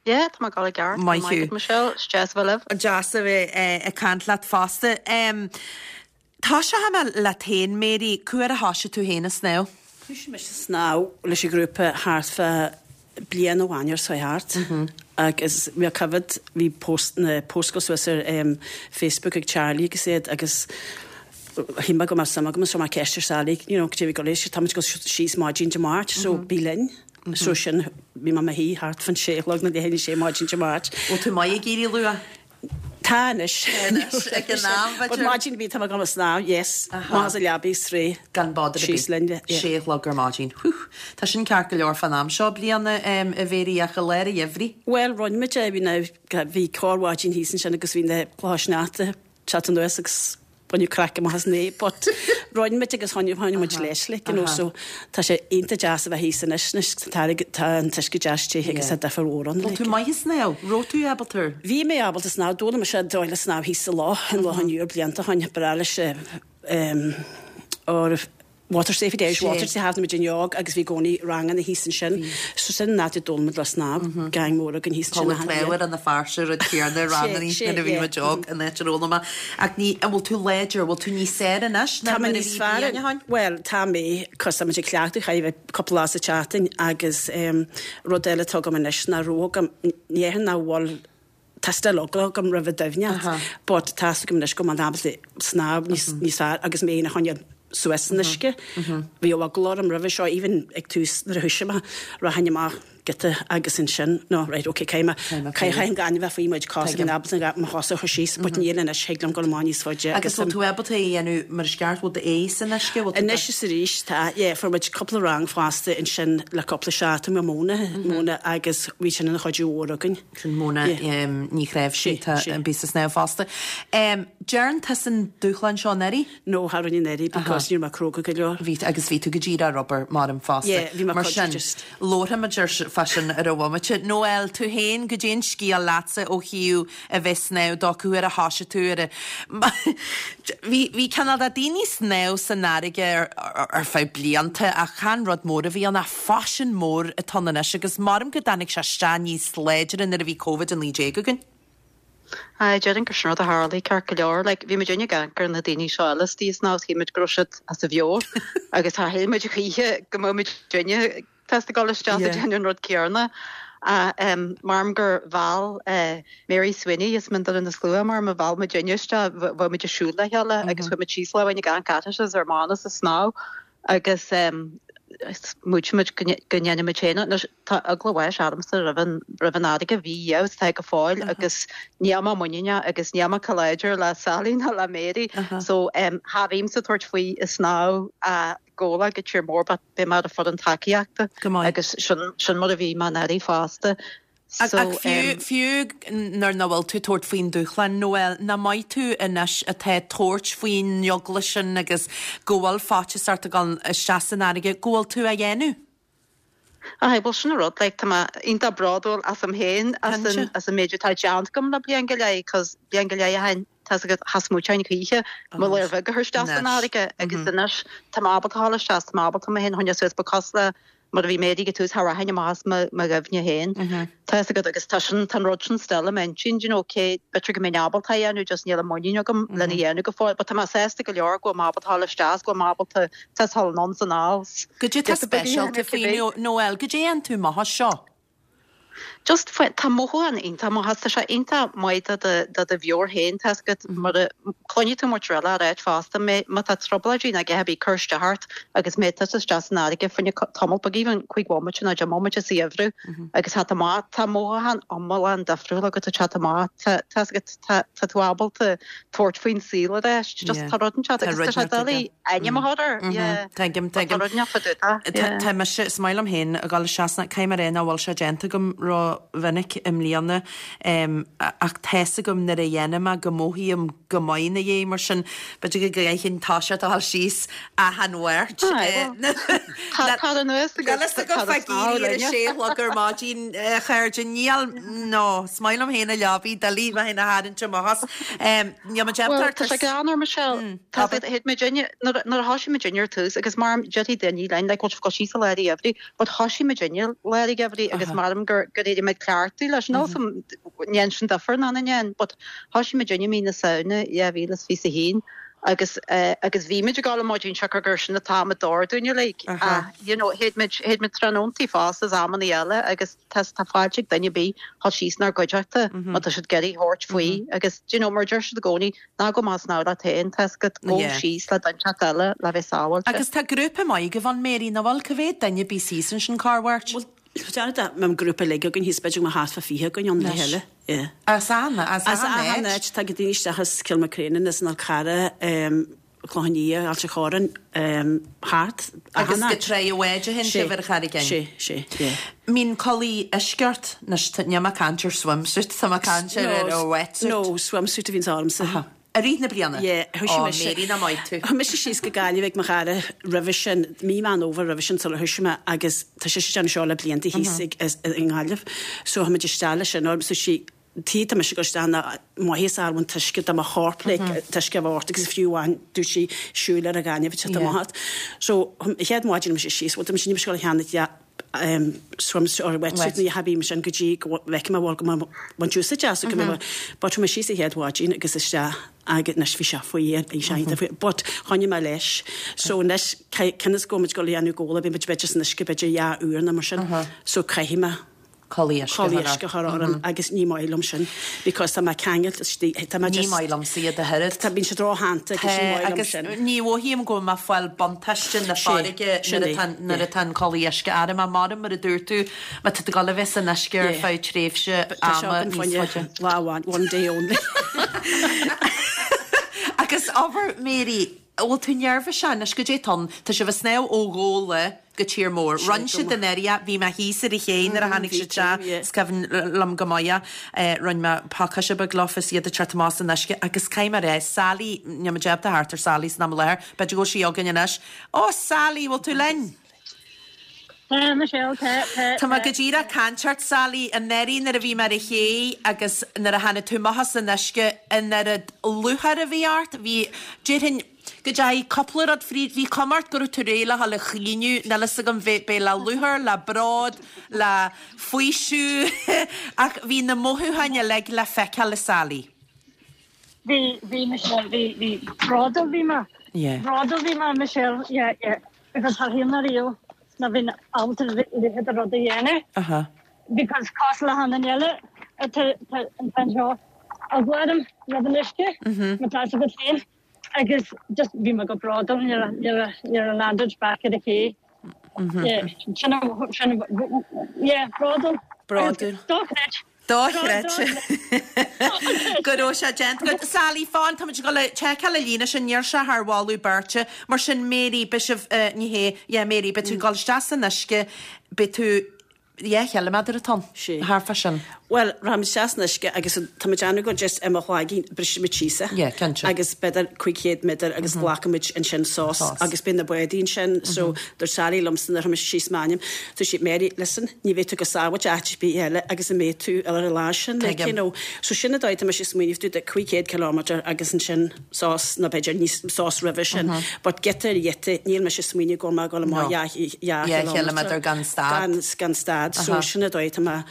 Yeah, tá mé ag dul i gceart. Maith thú. Michelle, is deas a bheith libh. Deas a bheith ag caint leat fosta. Tosóidh mé leat féin, Mary, cá huair a thoisigh tú féin ag snámh? Thoisigh mise ag snámh leis an ghrúpa thart fá bliain amháin or so thart agus bhí coimhéad, bhí post, na post ag dul suas ar Facebook ag Charlie agus iad agus shíl mé go mbeadh suim agam so chuir mé ceist ar Sally, you know, cad é bhí ag dul leis, táimid ag dul síos maidin Dé Máirt so bí linn. So sin, bhí mé i mo shuí thart fán sé a chlog nó leath i ndiaidh a sé maidin Dé Máirt. Bhfuil tú maith ag éirí luath? Tá anois. Anois, ag an am, b'fhéidir. But maidin bhí tá mé ag dul ag snámh, yes. Amach as an leabaidh is réidh. Gan bother ar bith. Síos linn, yeah. Sé a chlog ar maidin. Whew. Tá sin ceart go leor fán am seo bliana, a Mhary, ach i lár an gheimhridh. Bhuel, rinne muid é, bhí na, bhí corrmhaidin thíos ansin agus bhí na clocha sneachta teacht anuas agus baineadh craic amach as é but rinne muid agus choinnigh choinnigh muid leis like you know so tá sé iontach deas a bheith thíos anois anois tá tá an t-uisce deas te agus tá difear mhór ann Bhfuil tú maith ag snámh? Raibh tú ábalta ar? Bhí mé ábalta snámh d'fhoghlaim mise dóigh le snámh thíos sa loch in Loch an Iúir blianta ó shin breá leis eh or Water Safe at Irish Water sa bhí muid óg agus bhí i gcónaí ranganna thíos ansin. So sin an áit a d'fhoghlaim muid le snámh, gang mór againn thíos ansin achan bhliain. Ar na fearsa rud céanna ranganna nuair a bhí muid óg an áit ar fhoghlaim mé. Ach ní, an bhfuil tú láidir, an bhfuil tú níos fearr anois ná Tá mé nuair a níos bhí fearr, bliain ó shin? bhuel tá mé, cos tá muid ag cleachtadh chaithfidh a bheith cúpla lá sa tseachtain agus rud eile atá agam anois ná raibh agam, ní dhéarfainn nach bhfuil, Tá still eagla agam roimh an doimhneacht but tá 'fhios agam anois go bhfuil mé ábalta snámh níos níos fearr agus mé féin a choinneáil suas san uisce. Bhí eagla orm roimhe seo even ag tús nuair a thoisigh mé rachainn amach giota agus ansin no right ok caithfidh mé caithfidh an gaineamh a bheith faoi mo chuid cos bhí mé ábalta mo chosa a chur síos but níl anois thig liom dul amach níos faide Agus bhfuil tú ábalta é a dhéanamh mar is ceart bhfuil d'aghaidh san uisce bhfuil tú Anois is arís tá yeah fuair muid cúpla rang fosta ansin le cúpla seachtain le Mona Mona agus bhí sin ina chuidiú mhór againn. Sin Mona Ní Chnáimhsí, tá an bíos ag snámh fosta. Dearn tusa an dúshlán seo anuraidh? No, cha rinne anuraidh because ní raibh mé cróga go leor. Bhí, agus bhí tú go díreach ar obair, maram, fosta. Yeah, bhí mé Mar sin, just. labharfaimid ar fá sin ar an bhomaite. Noelle, tú féin, goidé an scéal leatsa ó thaobh a bheith ag snámh dó, cá huair a thoisigh tú ar a. Bhí, bhí cineál de daoine ag snámh san fharraige ar, ar feadh blianta ach chan rud mór a bhí ann ach faisean mór atá ann anois agus maram go dtáinig sé isteach níos láidre nuair a bhí Covid-19 againn. Aye, déarfainn gur sin rud a tharlaigh ceart go leor. Like, bhí muid ag amharc ar na daoine seo eile istigh ag snámh, shíl muid go raibh siad as a mheabhair agus char shíl muid choíche go mbeadh muid feasta ag dul isteach ag déanamh an rud céanna. Ach maram gur mheall Mary Sweeney as Mín Doire na Slua, maram a mheall muidinne isteach, bheadh muid ag siúl le chéile agus chuaigh muid síos lá amháin ag amharc uirthi is ar Mánas ag snámh agus smaoitigh muid go ndéanfaidh muid féin é. Anois tá eagla bháis ormsa roimh an roimh an fharraige, bhí is tá go fóill agus níl mé muiníneach agus níl mé chomh láidir le Sally ná le Mary so cha bhímse ag tabhairt faoi ag snámh Gabhla go Tír Mór but beidh mé ar an foireann tacaíochta Go maith. agus sin sin mar a bhí mé anuraidh fosta. Ach fiú, fiú nuair nach bhfuil tú ag tabhairt faoin dúshlán, Noel, nach maith tú anois atá ag tabhairt faoin eagla sin agus go bhfuil faitíos ort a dhul isteach san fharraige, go bhfuil tú á dhéanamh? Aye, bhuel sin an rud, like tá mé iontach bródúil asam féin as an, as an méid atá déanta agam le bliain go leith, cos bliain go leith ó shin, tá's agat, cha smaointeoinn choíche mo ladhar bheag a chur isteach san fharraige agus anois tá mé ábalta dhul isteach, tá mé ábalta mé féin a choinneáil suas, ba cosúil le mar a bhí Mary ag an tús, cha rachainn amach as mo dhoimhne féin. Tá fhios agat agus tá sin, tá an rud sin still i m'intinn, do you know, cé, b'fhéidir go mbeinn ábalta é a dhéanamh, just níl an muinín agam lena dhéanamh go fóill, but tá mé sásta go leor go bhfuil mé ábalta dhul isteach is go bhfuil mé ábalta, tá fhios dhul anonn 's anall. Goidé tá speisialta faoi, Noel, goidé a dhéanann tú amach as seo? Just faoi, tá mothúchán iontach maith as, tá sé iontach maith do do do do mheabhair féin, tá fhios agat, mar a cluinfidh tú muintir eile á ráit fosta, má má tá trioblóidí nó a dhath ar bith ag cur isteach ort agus má tá tusa isteach san fharraige fá choinne tamall beag, even 5 bhomaite nó 10 mbomaite sa gheimhreadh agus theacht amach, tá mothúchán iomlán difriúil agat ag teacht amach, tá tá fhios agat, tá tá tú ábalta tabhairt faoin saol arís, just tá rud inteacht agus tá sé doiligh ainm a chur air, yeah. Tuigim, tuigim. Tá rud inteacht fá dtaobh de, yeah. Tá mise, is maith liom féin a dhul isteach sna, caithfidh mé a rá nach bhfuil sé déanta agam ró-mhinic i mbliana, ach tá's agam nuair a dhéanaim é go mothaím go maith ina dhiaidh, mar sin b'fhéidir go gcaithfinn toiseacht a dhul síos achan Mháirt. Tá tar anuas agus Níl fhios agam fá éirí ar a sé a chlog ar maidin, a chairde, níl, no, is maith liom féin a leabaidh, doiligh mé féin a tharraingt amach as. Níl muid Bhuel, tá sé greannmhar, Michelle. Tá siad, thit muidinne, nuair a thoisigh muidinne ar tús, agus mar déarfaidh daoine linn, like, bhfuil sibh ag dul síos i lár an gheimhridh, but thoisigh muidinne i lár an gheimhridh agus maram gur, gur éirigh muid cleachtaithe leis, níl 'fhios a'm, ndéan sin difear ná na ndéan, but thoisigh muidinne mí na Samhna 2021 agus, eh, agus bhí muid ag dul ar maidin siocair gur sin an t-am a d'fhóir dúinne, like, ach, you know, théid muid, théid muid tráthnóntaí fosta is amannaí eile agus tá, tá fáilte ag duine ar bith dhul síos inár gcuideachta má tá siad ag iarraidh thabhairt faoi agus, do you know, mar a deir siad i gcónaí, ná gabh amach ag snámh leat féin, tá 'fhios agat, gabh síos le duine inteacht eile le bheith sábháilte. Agus tá grúpa maith agaibh ann, Mary, nach bhfuil? Cá mhéad duine a bíos thíos ansin corr-Mháirt? Bhuel, déarfainn dá mbeadh grúpa uilig againn thíos, b'fhéidir go mbeadh thart fá 20 againn ann le chéile. Yeah. As achan, as As achan achan áit. áit, tagann daoine isteach as Cill Mhic Réanáin, as an Fhál Carrach, Cloich Cheann Fhaola, Ailt an Chorráin, thart, achan Agus go áit. Tráigh an Bháid a théann sibh ar an Charraig Fhinn. Sé, sé, yeah. Mbíonn culaith uisce ort, anois, níl mé ag caint ar swimsuit, tá mé ag caint ar ar a wetsuit. No, swimsuit a bhíonns ormsa. Aha. I rith na bliana? Yeah, thoisigh Ó, mise. Mary, nach maith tú. Chuaigh mise síos go Gaillimh ag mo chara roimhe sin, mí Meán Fhómhair roimhe sin sular thoisigh mé agus tá sise ag déanamh seo le blianta thíos ag, i nGaillimh. So chuaigh muid isteach leis sin orm, so sí, tuige tá mise ag dul isteach ná maitheas a fháil ón t-uisce do mo chorp like an t-uisce a bheith ort agus fiú amháin dúirt sí siúil ar an ghaineamh ag teacht amach ort. So an chéad mhaidin mise síos, bhuel tá mise ní mise ag dul a cheannacht yeah swimsuit or wetsuit ní ha bhí mise an go dtí go bhfeicfidh mé bhfuil go mbeidh baint úsáid as go mbeidh but chuaigh mé síos an chéad mhaidin agus isteach agus anois bhí sé fuar bhí sé iontach fuar but choinnigh mé leis so anois cionn is go bhfuil muid ag dul a dhéanamh gabhála bíonn muid b'fhéidir san uisce b'fhéidir dhá uair nó mar sin so caithfidh mé Culaith uisce a chur ort. orm agus ní maith liom sin because tá mé ceangailte istigh, tá mé Ní just. maith liomsa iad ach oiread. Tá, bíonn siad rótheannta agus ní maith liom agus sin. ní mhothaím go bhfuil mé ag fáil buntáiste na farraige sin nuair é, atá nuair yeah. atá an culaith uisce orm. Ach mar mar a dúirt tú, má tá tú ag dul a bheith san uisce ar Yeah. feadh tréimhse Tá sé ama agam níos fá choinne faide. lá amháin, one day only. Agus abair, Mary, an bhfuil tú neirbhíseach anois goidé tá ann? Tá sibh ag snámh ó Ghabhla go tír mór. Rinne siad an area, bhí mé thíos ar an ché nuair a tháinig siad isteach, is cuimhin liom go maith é. Rinne mé pacáiste beag leofa is iad ag teacht amach as an uisce agus caithfidh mé a rá, Sally, níl muid ábalta theacht ar Sally san am i láthair, b'fhéidir go bhfuil sí againn anois. Ó Sally, bhfuil tú linn? Tá, Michelle, tá, tá, Tá mé go díreach ag caint ort, Sally, anuraidh nuair a bhí mé ar an ché agus nuair a tháinig tú amach as an uisce, an oiread lúcháir a bhí ort, bhí, déarfainn, Go dteachaigh cúpla rud fríd, bhí cuma ort go raibh tú réidh le dhul ag caoineadh, níl fhios agam, b'é le lúcháir, le bród, le faoiseamh, ach bhí na mothúcháin uilig le feiceáil i Sally. Bhí, bhí Michelle, bhí, bhí, bródúil bhí mé, Yeah. bródúil bhí mé Michelle, yeah, yeah, because char shíl mé riamh ná bheinn ábalta a leithéid de rud a dhéanamh. Aha. Because cosúil le achan duine eile atá anseo, eagla orm roimh an uisce, má tá fhios agat féin. Agus just bhí mé go bródúil nuair a nuair a nuair a landed back ar an ché. Yeah, sin a sin yeah, bródúil. Bródúil. Dochreidte. Dochreidte. Go raibh sé déanta agat. Sally, fan, táimid ag dul a tseiceáil an líne sin, níl sé thar mholadh beirte. Mar sin, Mary, beidh sibh, ní hé, yeah, Mary, beidh tú ag dul isteach san uisce, beidh tú. 10 chiliméadar atá ann, thart fá sin. Bhuel, rachaimid isteach san uisce agus tá muid ag déanamh go just i mo chloigeann, brisfimid síos é. Yeah, cinnte. Agus b'fhéidir 500 méadar agus glacfaimid ansin sos agus beidh na bádaí ansin so dúirt Sally liomsa nuair a chuir mise síos m'ainm, dúirt sí, Mary, listen, ní bheidh tú go sábháilte áit ar bith eile agus a mbeidh tú ar an lá sin, like, you know. So sin an dóigh tá mise ag smaoineamh dúirt 500 kilometre agus ansin sos nó b'fhéidir níos sos roimhe sin but giota ar ghiota níl mise ag smaoineamh go bhfuil mé ag dul amach 2 chiliméadar gan stad. Gan stad so sin an dóigh tá mé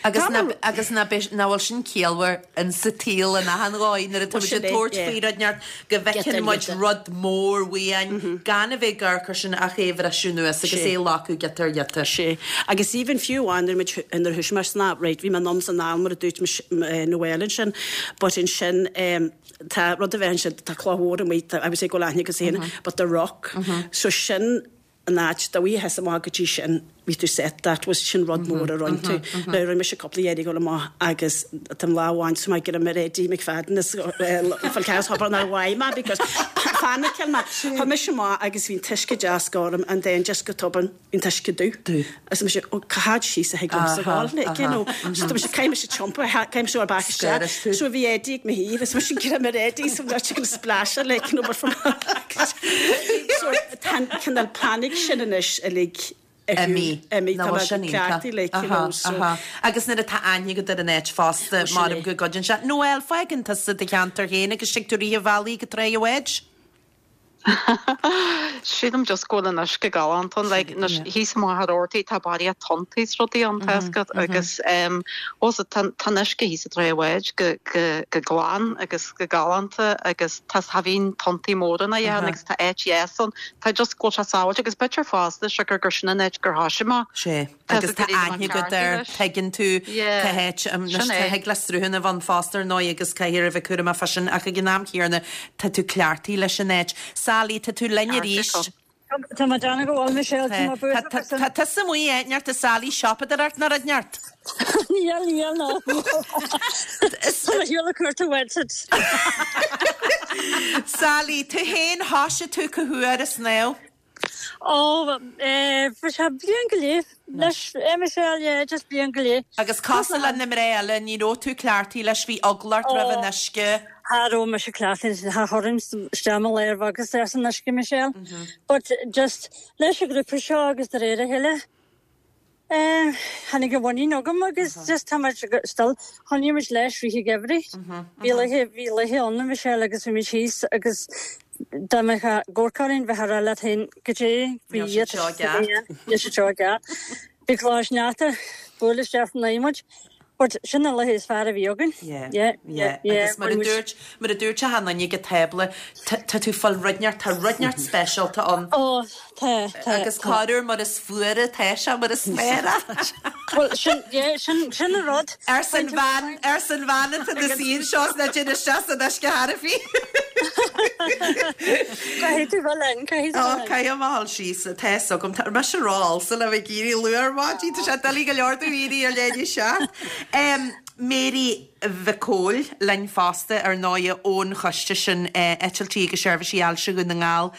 Agus agus nach bhfuil sin ciallmhar in sa tsaol in achan dhóigh nuair atá muid ag tabhairt faoi rud inteacht go bhfeiceann muid rud mór uainn gan a bheith ag amharc air sin ach é a bhriseadh anuas agus é a ghlacadh giota ar ghiota. Sea. Agus even fiú amháin nuair muid nuair a thoisigh mé san right bhí mé anonn is anall mar a dúirt Noel ansin but ansin tá rud a bheith ansin, tá cloch mhór amuigh, tá, I would say go bhfuil aithne agat féin, but the rock, so sin an áit, dá bhfuightheá amach go dtí sin, bhí tú set, that was, sin rud mór a rinne tú. Now rinne mise cúpla iarraidh dul amach agus tá an lá amháin so mé ag iarraidh ar Eddie McFadden is fáil ceann hobair nár mhaith mé because phaniceáil mé. Chuaigh mise amach agus bhí an t-uisce deas gorm and then just go tobann, an t-uisce dubh. Dubh. Agus mise, ó, cá háit síos a thig liomsa Aha, dhul, like, you aha. know. So tá mise, caithfidh mise tiompú, caithfidh mise dul back isteach. Scaras tú. So bhí Eddie ag mo thaobh, is mise ag greim ar Eddie, so bhí sé splasher, like, you know, but from So tá an cineál panic sin anois uilig ar shiúl. Imithe. Imithe. Ná Tá mé sin iontach. cleachtaithe, like, you know, Aha, so. aha. Agus nuair atá aithne agat ar an áit fosta, Ó, sin maram é. go gcuideann sé. Noel, fágann tusa do cheantar féin agus tig tú rith an bhealaigh go Tráigh an Bháid? Sílim just go bhfuil an uisce galánta ann, like anois thíos amuigh ar Ortaigh tá barraíocht tonntaí is rudaí ann tá fhios agat agus em also tá tá an uisce thíos i dTráigh an Bháid go go go glan agus go galánta agus tá cha bhíonn tonntaí móra ná a dhath ann agus tá áit dheas ann tá just go bhfuil sé sábháilte agus b'fhéidir fosta siocair gur sin an áit gur thoisigh mé. Sé. Agus tá aithne agat air, tuigeann tú cá háit, anois thig le sruthanna a bheith ann fosta ar ndóigh agus caithfear a bheith cúramach fá sin ach ag an am chéanna tá tú cleachtaithe leis an áit. Sally, tá tú linn arís. Tá mé ag déanamh go bhfuil, Michelle, tá mé buartha fá sin. Tá tusa amuigh áit inteacht, a Sally, siopadóireacht nó rud inteacht? Níl, níl, no. Tá mé ar shiúl ag cuartú bhfuil. Sally, tú féin, thoisigh tú cá huair ag snámh? Ó, eh, bhí sé bliain go leith leis, eh, Michelle, yeah, just bliain go leith. Agus cosúil le na mná eile, ní raibh tú cleachtaithe leis, bhí eagla ort roimh an uisce. Cha raibh mise cleachtaithe leis, cha chuirfinn isteach mo lámh agus isteach san uisce, Michelle. But just leis an ghrúpa seo agus de réir a chéile, Eh, tháinig an mhuinín agam agus just tá muid still, choinnigh muid leis rith an gheimhridh. Bhí laethe, bhí laethe ann a Michelle agus bhí muid thíos agus dá mbeadh ag amharc orainn bheifeá ag rá leat féin goidé faoi Níl siad seo i gceart. Níl siad seo i gceart. Bhí cloch sneachta, buail isteach in aghaidh muid. But sin na laethe is fearr a bhí againn. Yeah, yeah, yeah. Agus mar a dúirt, mar a dúirt achan duine ag an tábla, tá tú fáil rud inteacht, tá rud inteacht speisialta ann. Ó, tá, tá. Agus corruair mar is fuaire atá sé, mar is fearr é. Bhuel, sin, yeah, sin, sin an rud. Arsa an bhean, arsa an bhean atá ina suí anseo is ná déan isteach san uisce cheana féin. Caithfidh tú bheith linn, caithfidh tú Ó, bheith linn. caithfidh mé a dhul síos, tá fhios agam, tá mise ró-fhalsa le bheith ag éirí luath ar maidin, tá sé doiligh go leor domh éirí ar leath i ndiaidh 7. Mary Mhic Cóil linn fosta, ar ndóighe, ón choiste sin, Eitiltí agus Seirbhísí Ailse Dhún na nGall.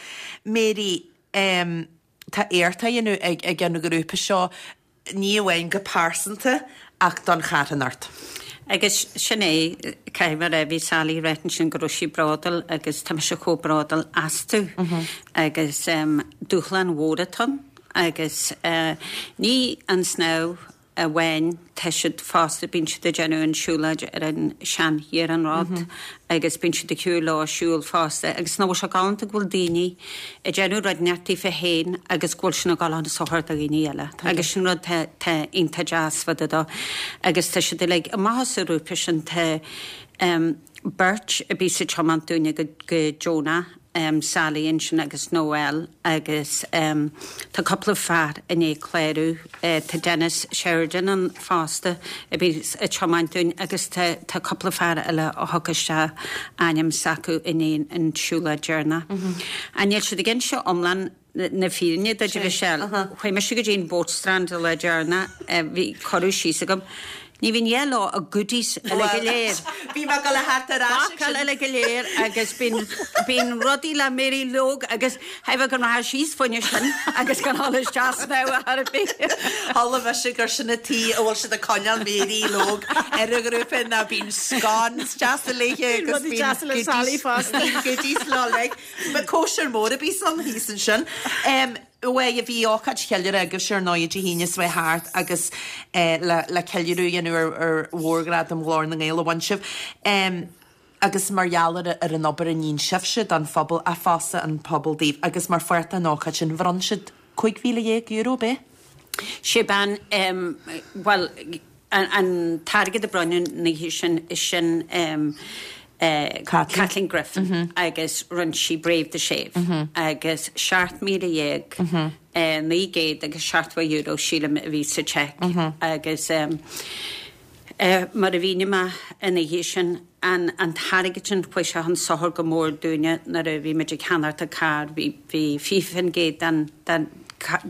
Mary, tá éacht á dhéanamh ag an ghrúpa seo, ní amháin go pearsanta ach don charthanacht. Agus sin é, caithfidh mé a rá, bhí Sally ag ráit ansin go raibh sí bródúil agus tá mise chomh bródúil astu agus dúshlán mhór atá ann agus ní an snámh amháin, tá siad fosta, bíonn siad ag déanamh an siúlóid ar an sean-iarnród agus bíonn siad ag siúl leo siúl fosta agus nach bhfuil sé galánta go bhfuil daoine ag déanamh rud inteacht daofa féin agus go bhfuil sin ag dul chun sochair do dhaoine eile agus sin rud tá tá iontach deas fá dtaobh dó agus tá siad uilig amach as an ghrúpa sin tá beirt a bhíos ag tiomáint dúinne go go deonach Sally ansin agus Noel agus tá cúpla fear i ndiaidh clárú, tá Dennis Sheridan ann fosta a bhíos ag tiomáint dúinn agus tá tá cúpla fear eile a thug isteach ainm s'acu i ndiaidh an siúlóid deireanach. Ach níl siad ag inse iomlán na fírinne duit a Mhichelle. Chuaigh mise go dtí an Boatstrand an lá deireanach, bhí cuireadh síos agam. Ní bhíonn a dhath leo ach goodies uile go léir. Bhí mé ag dul a theacht ar ais ag sin. Bácáil uile go léir agus bíonn, bíonn rudaí le Mary Logue agus thaobh go rachadh síos fá choinne sin agus gan dhul isteach snámh ar chor ar bith. Chuala mise gur sin an tuige a bhfuil siad ag coinneáil Mary Logue ar an ghrúpa ná bíonn scones deasa léithe agus Rudaí deasa le Sally fosta. Bíonn goodies leo like. Ba cóisir mór a bhí ann thíos ansin. Bhuel, bhí ócáid cheiliúrtha agaibhse ar ndóigh Dé hAoine seo thart agus le ceiliúradh a dhéanamh ar mhórghradam Ghlór na nGael a bhain sibh. Agus mar gheall ar an obair a níonn sibhse don phobal, ach fosta an pobal daoibh. Agus mar pháirt den ócáid sin, bhronn siad €15,000, ab é? Sé bean, bhuel, an t-airgead a bronnadh an oíche sin, sin Kathleen Griffin agus rinne sí Brave the Shave agus €17,970 sílim a bhí sa cheque agus mar a mhínigh mé an oíche sin, an t-airgead sin chuaigh sé chun sochair go mór dúinne nuair a bhí muid ag ceannacht an carr, bhí 20% den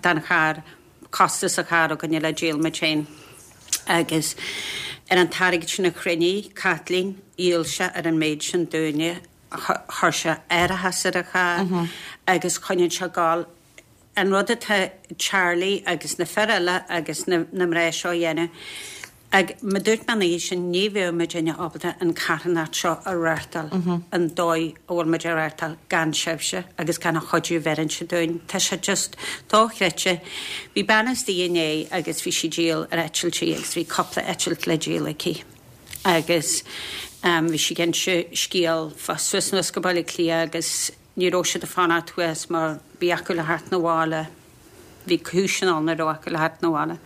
den charr costas an chairr againne le díol muid féin agus ar an t-airgead sin a chruinnigh Caitlín, dhíol sé ar an méid sin dúinne, chuir sé árachas ar an charr agus choinnigh sé ag gabháil. An rud atá Charlie agus na fir eile agus na mná seo a dhéanamh, Ag, mar dúirt mé an oíche sin, ní bheadh muidinne ábalta an carthanacht seo a reáchtáil an dóigh a bhfuil muid á reáchtáil gan sibhse agus gan an chuidiú a bheireann sibh dúinn. Tá sé just dochreidte. Bhí bean istigh inné agus bhí sí ag díol ar eitiltí agus bhí cúpla eitilt le díol aici agus bhí sí ag inse scéal fá suas anuas go Baile Átha Cliath agus ní raibh siad ag fanacht thuas mar bhí acu le theacht 'na bhaile. Bhí cúiseanna ann nach raibh acu le theacht 'na bhaile.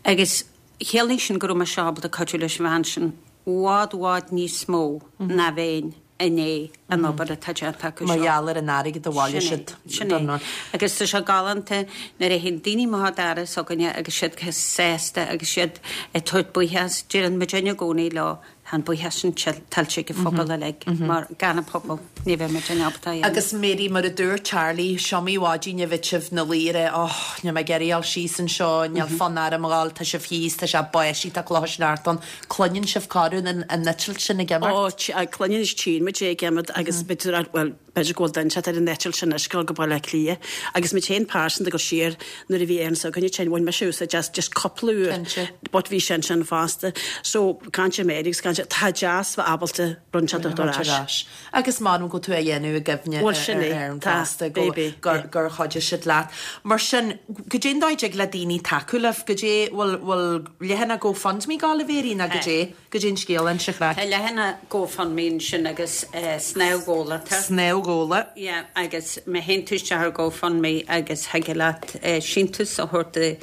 Agus chiallaigh sin go raibh mise ábalta cuidiú leis an bhean sin i bhfad, bhfad níos mó ná bheinn i ndiaidh an obair atá déanta acu seo. Mar gheall ar an airgead a bhailigh siad Sin é. Agus tá sé galánta nuair a théann daoine amach an doras s'againne agus siad sásta agus siad ag tabhairt buíochas. Deireann muidinne i gcónaí leo, Tá an buíochas sin tuillte ag an phobal uilig mar gan an pobal ní bheadh muid ábalta é a dhéanamh. Agus Mary, mar a dúirt Charlie, is iomaí maidin a bhí sibh 'na luí ag rá oh, níl mé ag iarraidh a dhul síos anseo, níl fonn orm a dhul, tá sibh thíos, tá sé ag báisteach, tá clocha sneachta ann. Cluineann sibh corruair an eitilt sin ag imeacht? Ó, cluineann is tchíonn muid é ag imeacht agus b'fhéidir, bhuel, B'fhéidir go bhfuil duine inteacht ar an eitilt sin anois ag dul go Baile Átha Cliath. Agus muid féin pearsanta ag dul siar nuair a bhí Éirinn s'againne tinn, bhain mise úsáid as just cúpla uair Cinnte. but bhí sé ansin fosta. So, caint ar Mary agus caint ar, tá deas bheith ábalta rud inteacht a thabhairt ar ais. Agus m'anam go bhfuil tú á dhéanamh i gcuimhne Bhuel, sin ar é. Éirinn Tá, fosta, go, baby, gur, yeah. gur chuidigh siad leat. Mar sin, goidé an dóigh a dtig le daoine tacú libh? Goidé, bhfuil, bhfuil leathanach GoFundMe ag gabháil a Mhary nó goidé? Goidé an scéal, inis an chraic. Tá leathanach GoFundMe ansin agus Snámh Gólata. Snámh Góla. Yeah, agus má théann tú isteach ar GoFundMe agus thig leat síntiús a thabhairt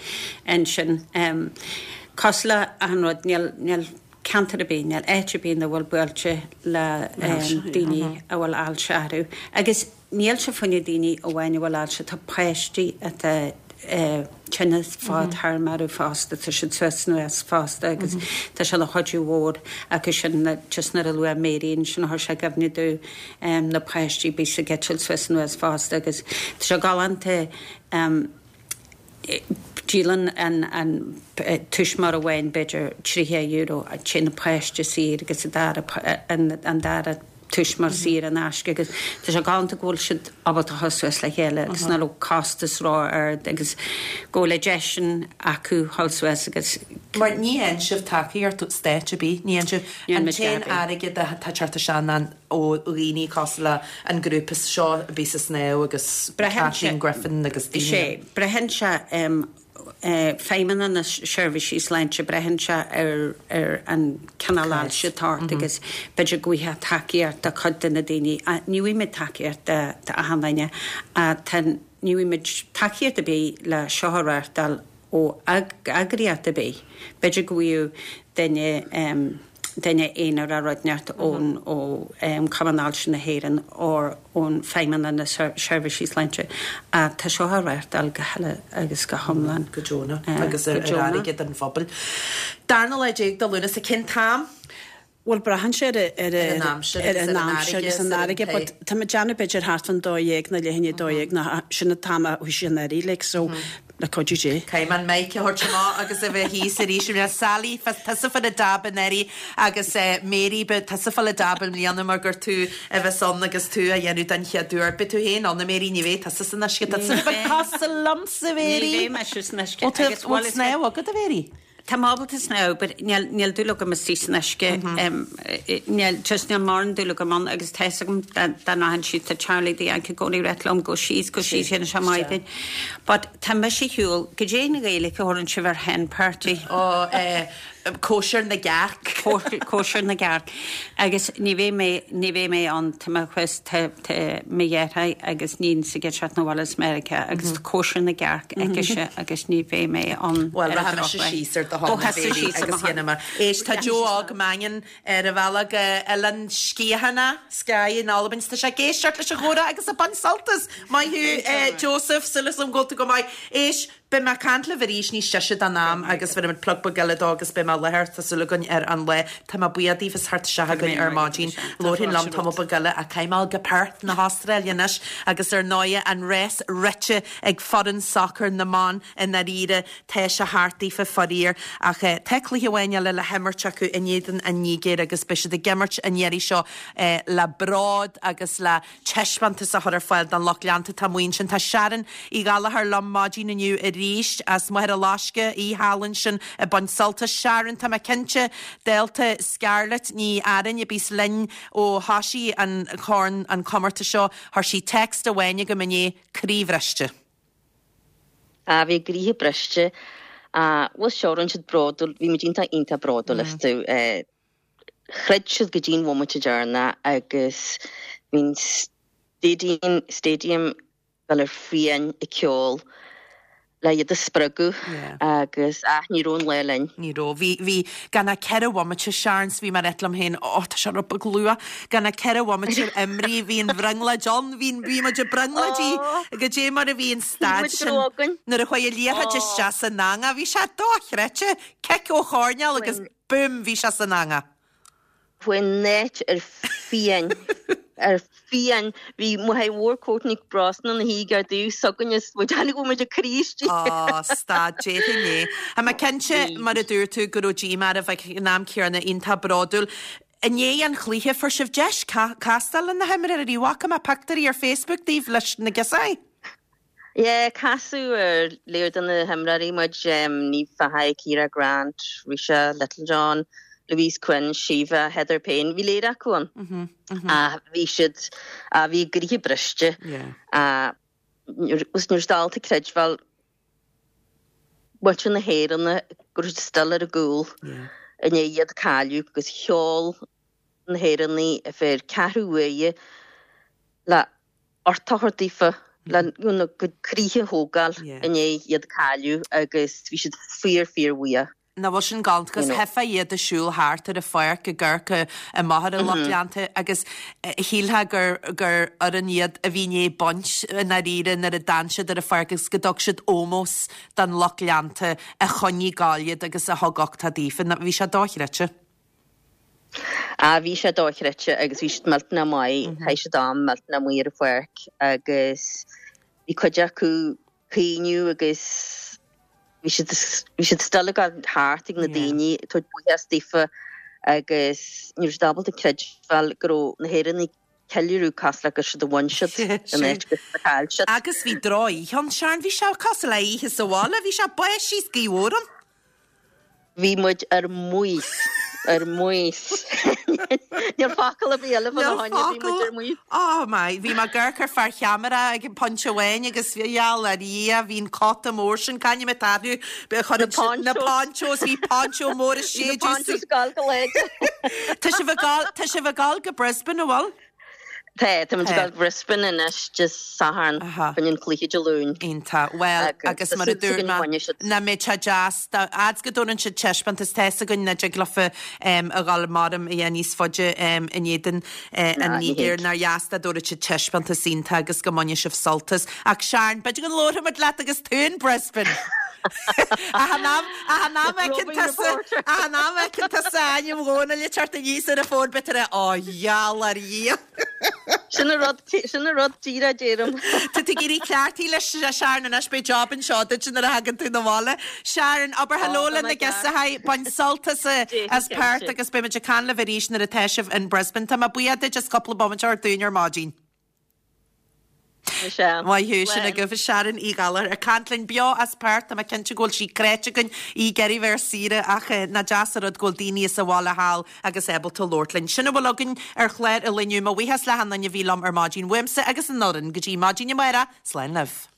ansin. Cosúil le achan rud, níl, níl ceantar ar bith, níl áit ar bith nach bhfuil buailte le daoine a bhfuil ailse orthu. Agus Níl sé fá choinne daoine amháin a bhfuil ailse, tá páistí atá tinneas fadtéarmach orthu fosta, tá siad suas anuas fosta agus tá sé ina chuidiú mhór acu sin, just nuair a luaigh Mary ansin chuir sé i gcuimhne domh na páistí a bíos ag eitilt suas anuas fosta agus tá sé galánta Díolann an tuismitheoir amháin b'fhéidir €30, téann an páiste saor agus an dara tuismitheoir saor in aisce agus tá sé galánta go bhfuil siad ábalta a dhul suas le chéile agus nach raibh costas ró-ard agus go bhfuil an deis sin acu dhul suas agus. Mar ní fhaigheann sibh tacaíocht ó stáit ar bith, ní fhaigheann sibh an t-aon airgead atá ag teacht isteach ná ó dhaoine cosúil le an grúpa seo a bhí sa snámh agus Kathleen Griffin agus daoine. Sé, braitheann sé Feidhmeannacht na Seirbhísí Sláinte, braitheann sé ar ar an cineál ailse atá ort agus b'fhéidir go bhfaighfeá tacaíocht do chuid de na daoine, ní bhfaighimid tacaíocht d'achan duine, tá, ní bhfaighimid tacaíocht ar bith le seo a reáchtáil ó eagraíocht ar bith. B'fhéidir go bhfaigheadh duine duine aonair nó rud inteacht ón ó Chumann Ailse na hÉireann or ón Feidhmeannacht na Seirbhísí Sláinte. Ach tá seo á reáchtáil go huile agus go hiomlán. Go deonach agus ar airgead an phobail. Darna lá déag de Lúnasa, cén t-am? Bhuel, braitheann sé ar ar an aimsir ar an aimsir agus an fharraige, but tá muid ag déanamh b'fhéidir thart fán 12 nó leath i ndiaidh 12 nó sin an t-am a thosaíonn an fharraige, like, so. Le cuidiú Dé. Caithfidh mé an mic a thabhairt amach agus a bheith thíos arís i mbliana. Sally, tusa fá na dab anuraidh agus Mary, beidh tusa fá la dab i mbliana mar gur tú a bheas ann agus tú á dhéanamh den chéad uair. Beidh tú féin ann, a Mary, ní bheidh tusa san uisce. Tá tusa beag cosúil liomsa, Mary. Ní bheidh mise san uisce. Bhfuil snámh agat, a Mary? Tá mé ábalta snámh but níl níl dúil agam istigh san uisce níl just níl mórán dúil agam ann agus tá fhios agam dá dá rachainn síos tá Charlie the Yank i gcónaí ag ráit liom gabh síos gabh síos dhéanfaidh sé maith duit but tá mise ar shiúl goidé an Ghaeilge a thabharann sibh ar hen party? Ó eh cóisir na gcearc. Cóisir na gcearc agus ní bheidh mé ní bheidh mé ann tá mé thuas tá tá mo dheartháir agus níon s'aige ag teacht 'na bhaile as Meiriceá agus tá cóisir na gcearc aicise agus ní bheidh mé ann Bhuel, ar an rachaidh mise drochuair. síos ar do shon, Ó, a thosaigh Mary, síos ar mo agus shon. dhéanfaidh mé. Éist, tá Joe Óg Mannion ar a bhealach go Oileán Sgiathanach, Skye in Albain. Tá sé ag éisteacht leis an chomhrá agus ag baint sult as. Maith thú, eh, Joseph, súil agam go bhfuil tú go maith. Éist, Beidh mé ag caint libh arís níos deise don am agus bhéarfaimid plug beag eile dó agus beidh mé i láthair, tá súil againn, ar an lá. Tá mé buíoch daoibh as theacht isteach chugainn ar maidin. Labharfainn liom tamall beag eile ach caithfidh mé dul go Perth na hAstráile anois agus ar ndóighe an rás rite ag foireann sacair na mban i ndáiríre tá sé thart daofa faraor ach tá cluiche amháin eile le himirt acu in éadan an Nigéir agus beidh siad ag imirt an iarraidh seo le bród agus le taispeántas a chur ar fáil don lucht leanta atá amuigh ansin. Tá Sharon Uí Ghallchóir liom maidin inniu arís as Machaire Loiscthe, í thall ansin ag baint sult as. Sharon, tá mé cinnte, dálta Scarlett Ní Fhearáin a bíos linn ó thoisigh an corn, an comórtas seo, chuir sí text amháin chugam inné, croíbhriste. Ah, bhí a gcroíthe briste. Ah, bhuel sure, rinne siad bródúil, bhí muid iontach, iontach bródúil astu. Eh, Throid siad go dtí an bhomaite deireanach agus bhí an stadium stadium dul ar fiáin ag ceol le iad a spreagadh agus ach ní raibh an lá linn. Ní raibh. Bhí, bhí, gan ach 4 bhomaite, Sharon, 's bhí mé ag ráit liom féin, oh tá sé rud beag luath, gan ach 4 bhomaite imrithe, bhí an bhrionglóid ann, bhí, bhí muid ag brionglóidí, goidé mar a bhí an staid sin nuair a chuaigh an liathróid isteach san eangach, bhí sé dochreidte, cic ó choirnéal agus Boom! Bhí sé san eangach. Chuaigh an áit ar fiáin. Ar fiáin. Bhí máthair mhór Courtney Brosnan ina shuí gar dtaobh s'againn is muid uilig bhfuil muid ag croí istigh. Á, stad, déarfainn é. Tá mé cinnte, mar a dúirt tú, go raibh díomá oraibh ach ag an am céanna iontach bródúil. I ndiaidh an chluiche, fuair sibh deis castáil le na himreoirí. Bhfaca mé pictiúirí ar Facebook daoibh leis na girseachaí. Yeah, casadh ar lear de na himreoirí muid, Niamh Fahey, Ciara Grant, Ruesha Littlejohn, Louise Quinn, Síomha, Heather Payne, bhí léir acu ann. Ach bhí siad, bhí a gcroíthe briste. Ní raibh siad ábalta creidbheáil muintir na hÉireann go raibh siad still ar a gcúl i ndiaidh iad cailleadh agus cheol na hÉireannaigh ar feadh ceathrú uaire le uchtach a thabhairt daofa lena gcuid croíthe a thógáil i ndiaidh iad cailleadh agus bhí siad fíor fíor bhuíoch. Nach bhfuil sin galánta agus theifeá iad ag siúl thart ar an pháirc ag amharc amach ar an lucht leanta agus shílfeá gur gur fhoireann iad a bhí i ndiaidh baint i ndáiríre nuair a d'fhan siad ar an pháirc agus go dtug siad ómós don lucht leanta a choinnigh ag gabháil iad agus a thug uchtach daofa. Bhí sé dochreidte. Ah bhí sé dochreidte agus bhí siad millteanach maith, chaith siad am millteanach maith ar an pháirc agus bhí cuid acu caoineadh agus bhí siad bhí siad still ag dul thart ag na daoine ag tabhairt buíochas daofa agus ní raibh siad ábalta creidbheáil go raibh na hÉireannaigh ceiliúradh cosúil le gur siad a bhain siad in áit gur siad a chaill siad. Agus bhí drochoíche ann, Sharon, bhí sé cosúil le oíche sa bhaile, bhí sé báistí is gaoth mhór ann. Bhí muid ar maos, ar maos. Níl focal ar bith eile fá choinne, bhí muid ar maos. Oh my, bhí mé ag amharc ar fear cheamara ag an pointe amháin agus gheall ar Dhia, bhí an cóta mór sin, c'ainm atá orthu, na ponchos, bhí poncho mór ag séideadh. Bhí na ponchos ag gabháil go láidir. Tá sibh ag gabháil, tá sibh ag gabháil go Brisbane, an bhfuil? Tá, tá muid ag gabháil go Brisbane anois Dé Sathairn, fá choinne an cluiche Dé Luain. Iontach. Bhuel, agus mar a dúirt mé, nach mbeidh sé deas, fhad's go dtabharann siad taispeántas, tá fhios againn nach dtig leofa a dhul maram a dhéanamh níos faide in éadan an Nigéir, nár dheas dá dtabharfadh siad taispeántas iontach agus go mbainfidh sibh sult as. Ach Sharon, b'fhéidir go labharfaimid leat agus tú in Brisbane! Ach an am, ach an am a fheiceann tusa, ach an am a fheiceann tusa ainm Dhónaill ag teacht aníos ar an bhfón, beidh tú ag rá, Ó, gheall ar Dhia. Sin an rud, sin an rud díreach a deirim. Tá tú ag éirí cleachtaithe leis, Sharon, anois beidh job anseo duit nuair a thagann tú 'na bhaile. Sharon, abair hello le na girseachaí, bain sult as, as Perth agus beidh muid ag caint libh arís nuair atá sibh in Brisbane. Tá mé buíoch duit as cúpla bomaite a thabhairt dúinn ar maidin. Michelle. Maith thú, sin agaibh Sharon Uí Ghallchóir ag caint linn beo as Perth. Tá mé cinnte go bhfuil sí cráite againn í ag iarraidh bheith ar saoire ach nach deas an rud go bhfuil daoine as a bhaile thall agus ábalta labhairt linn. Sin a bhfuil againn ar chlár an lae inniu. Mo bhuíochas le hachan duine a bhí liom ar maidin uaimse agus an fhoireann go dtí maidin amárach. Slán libh.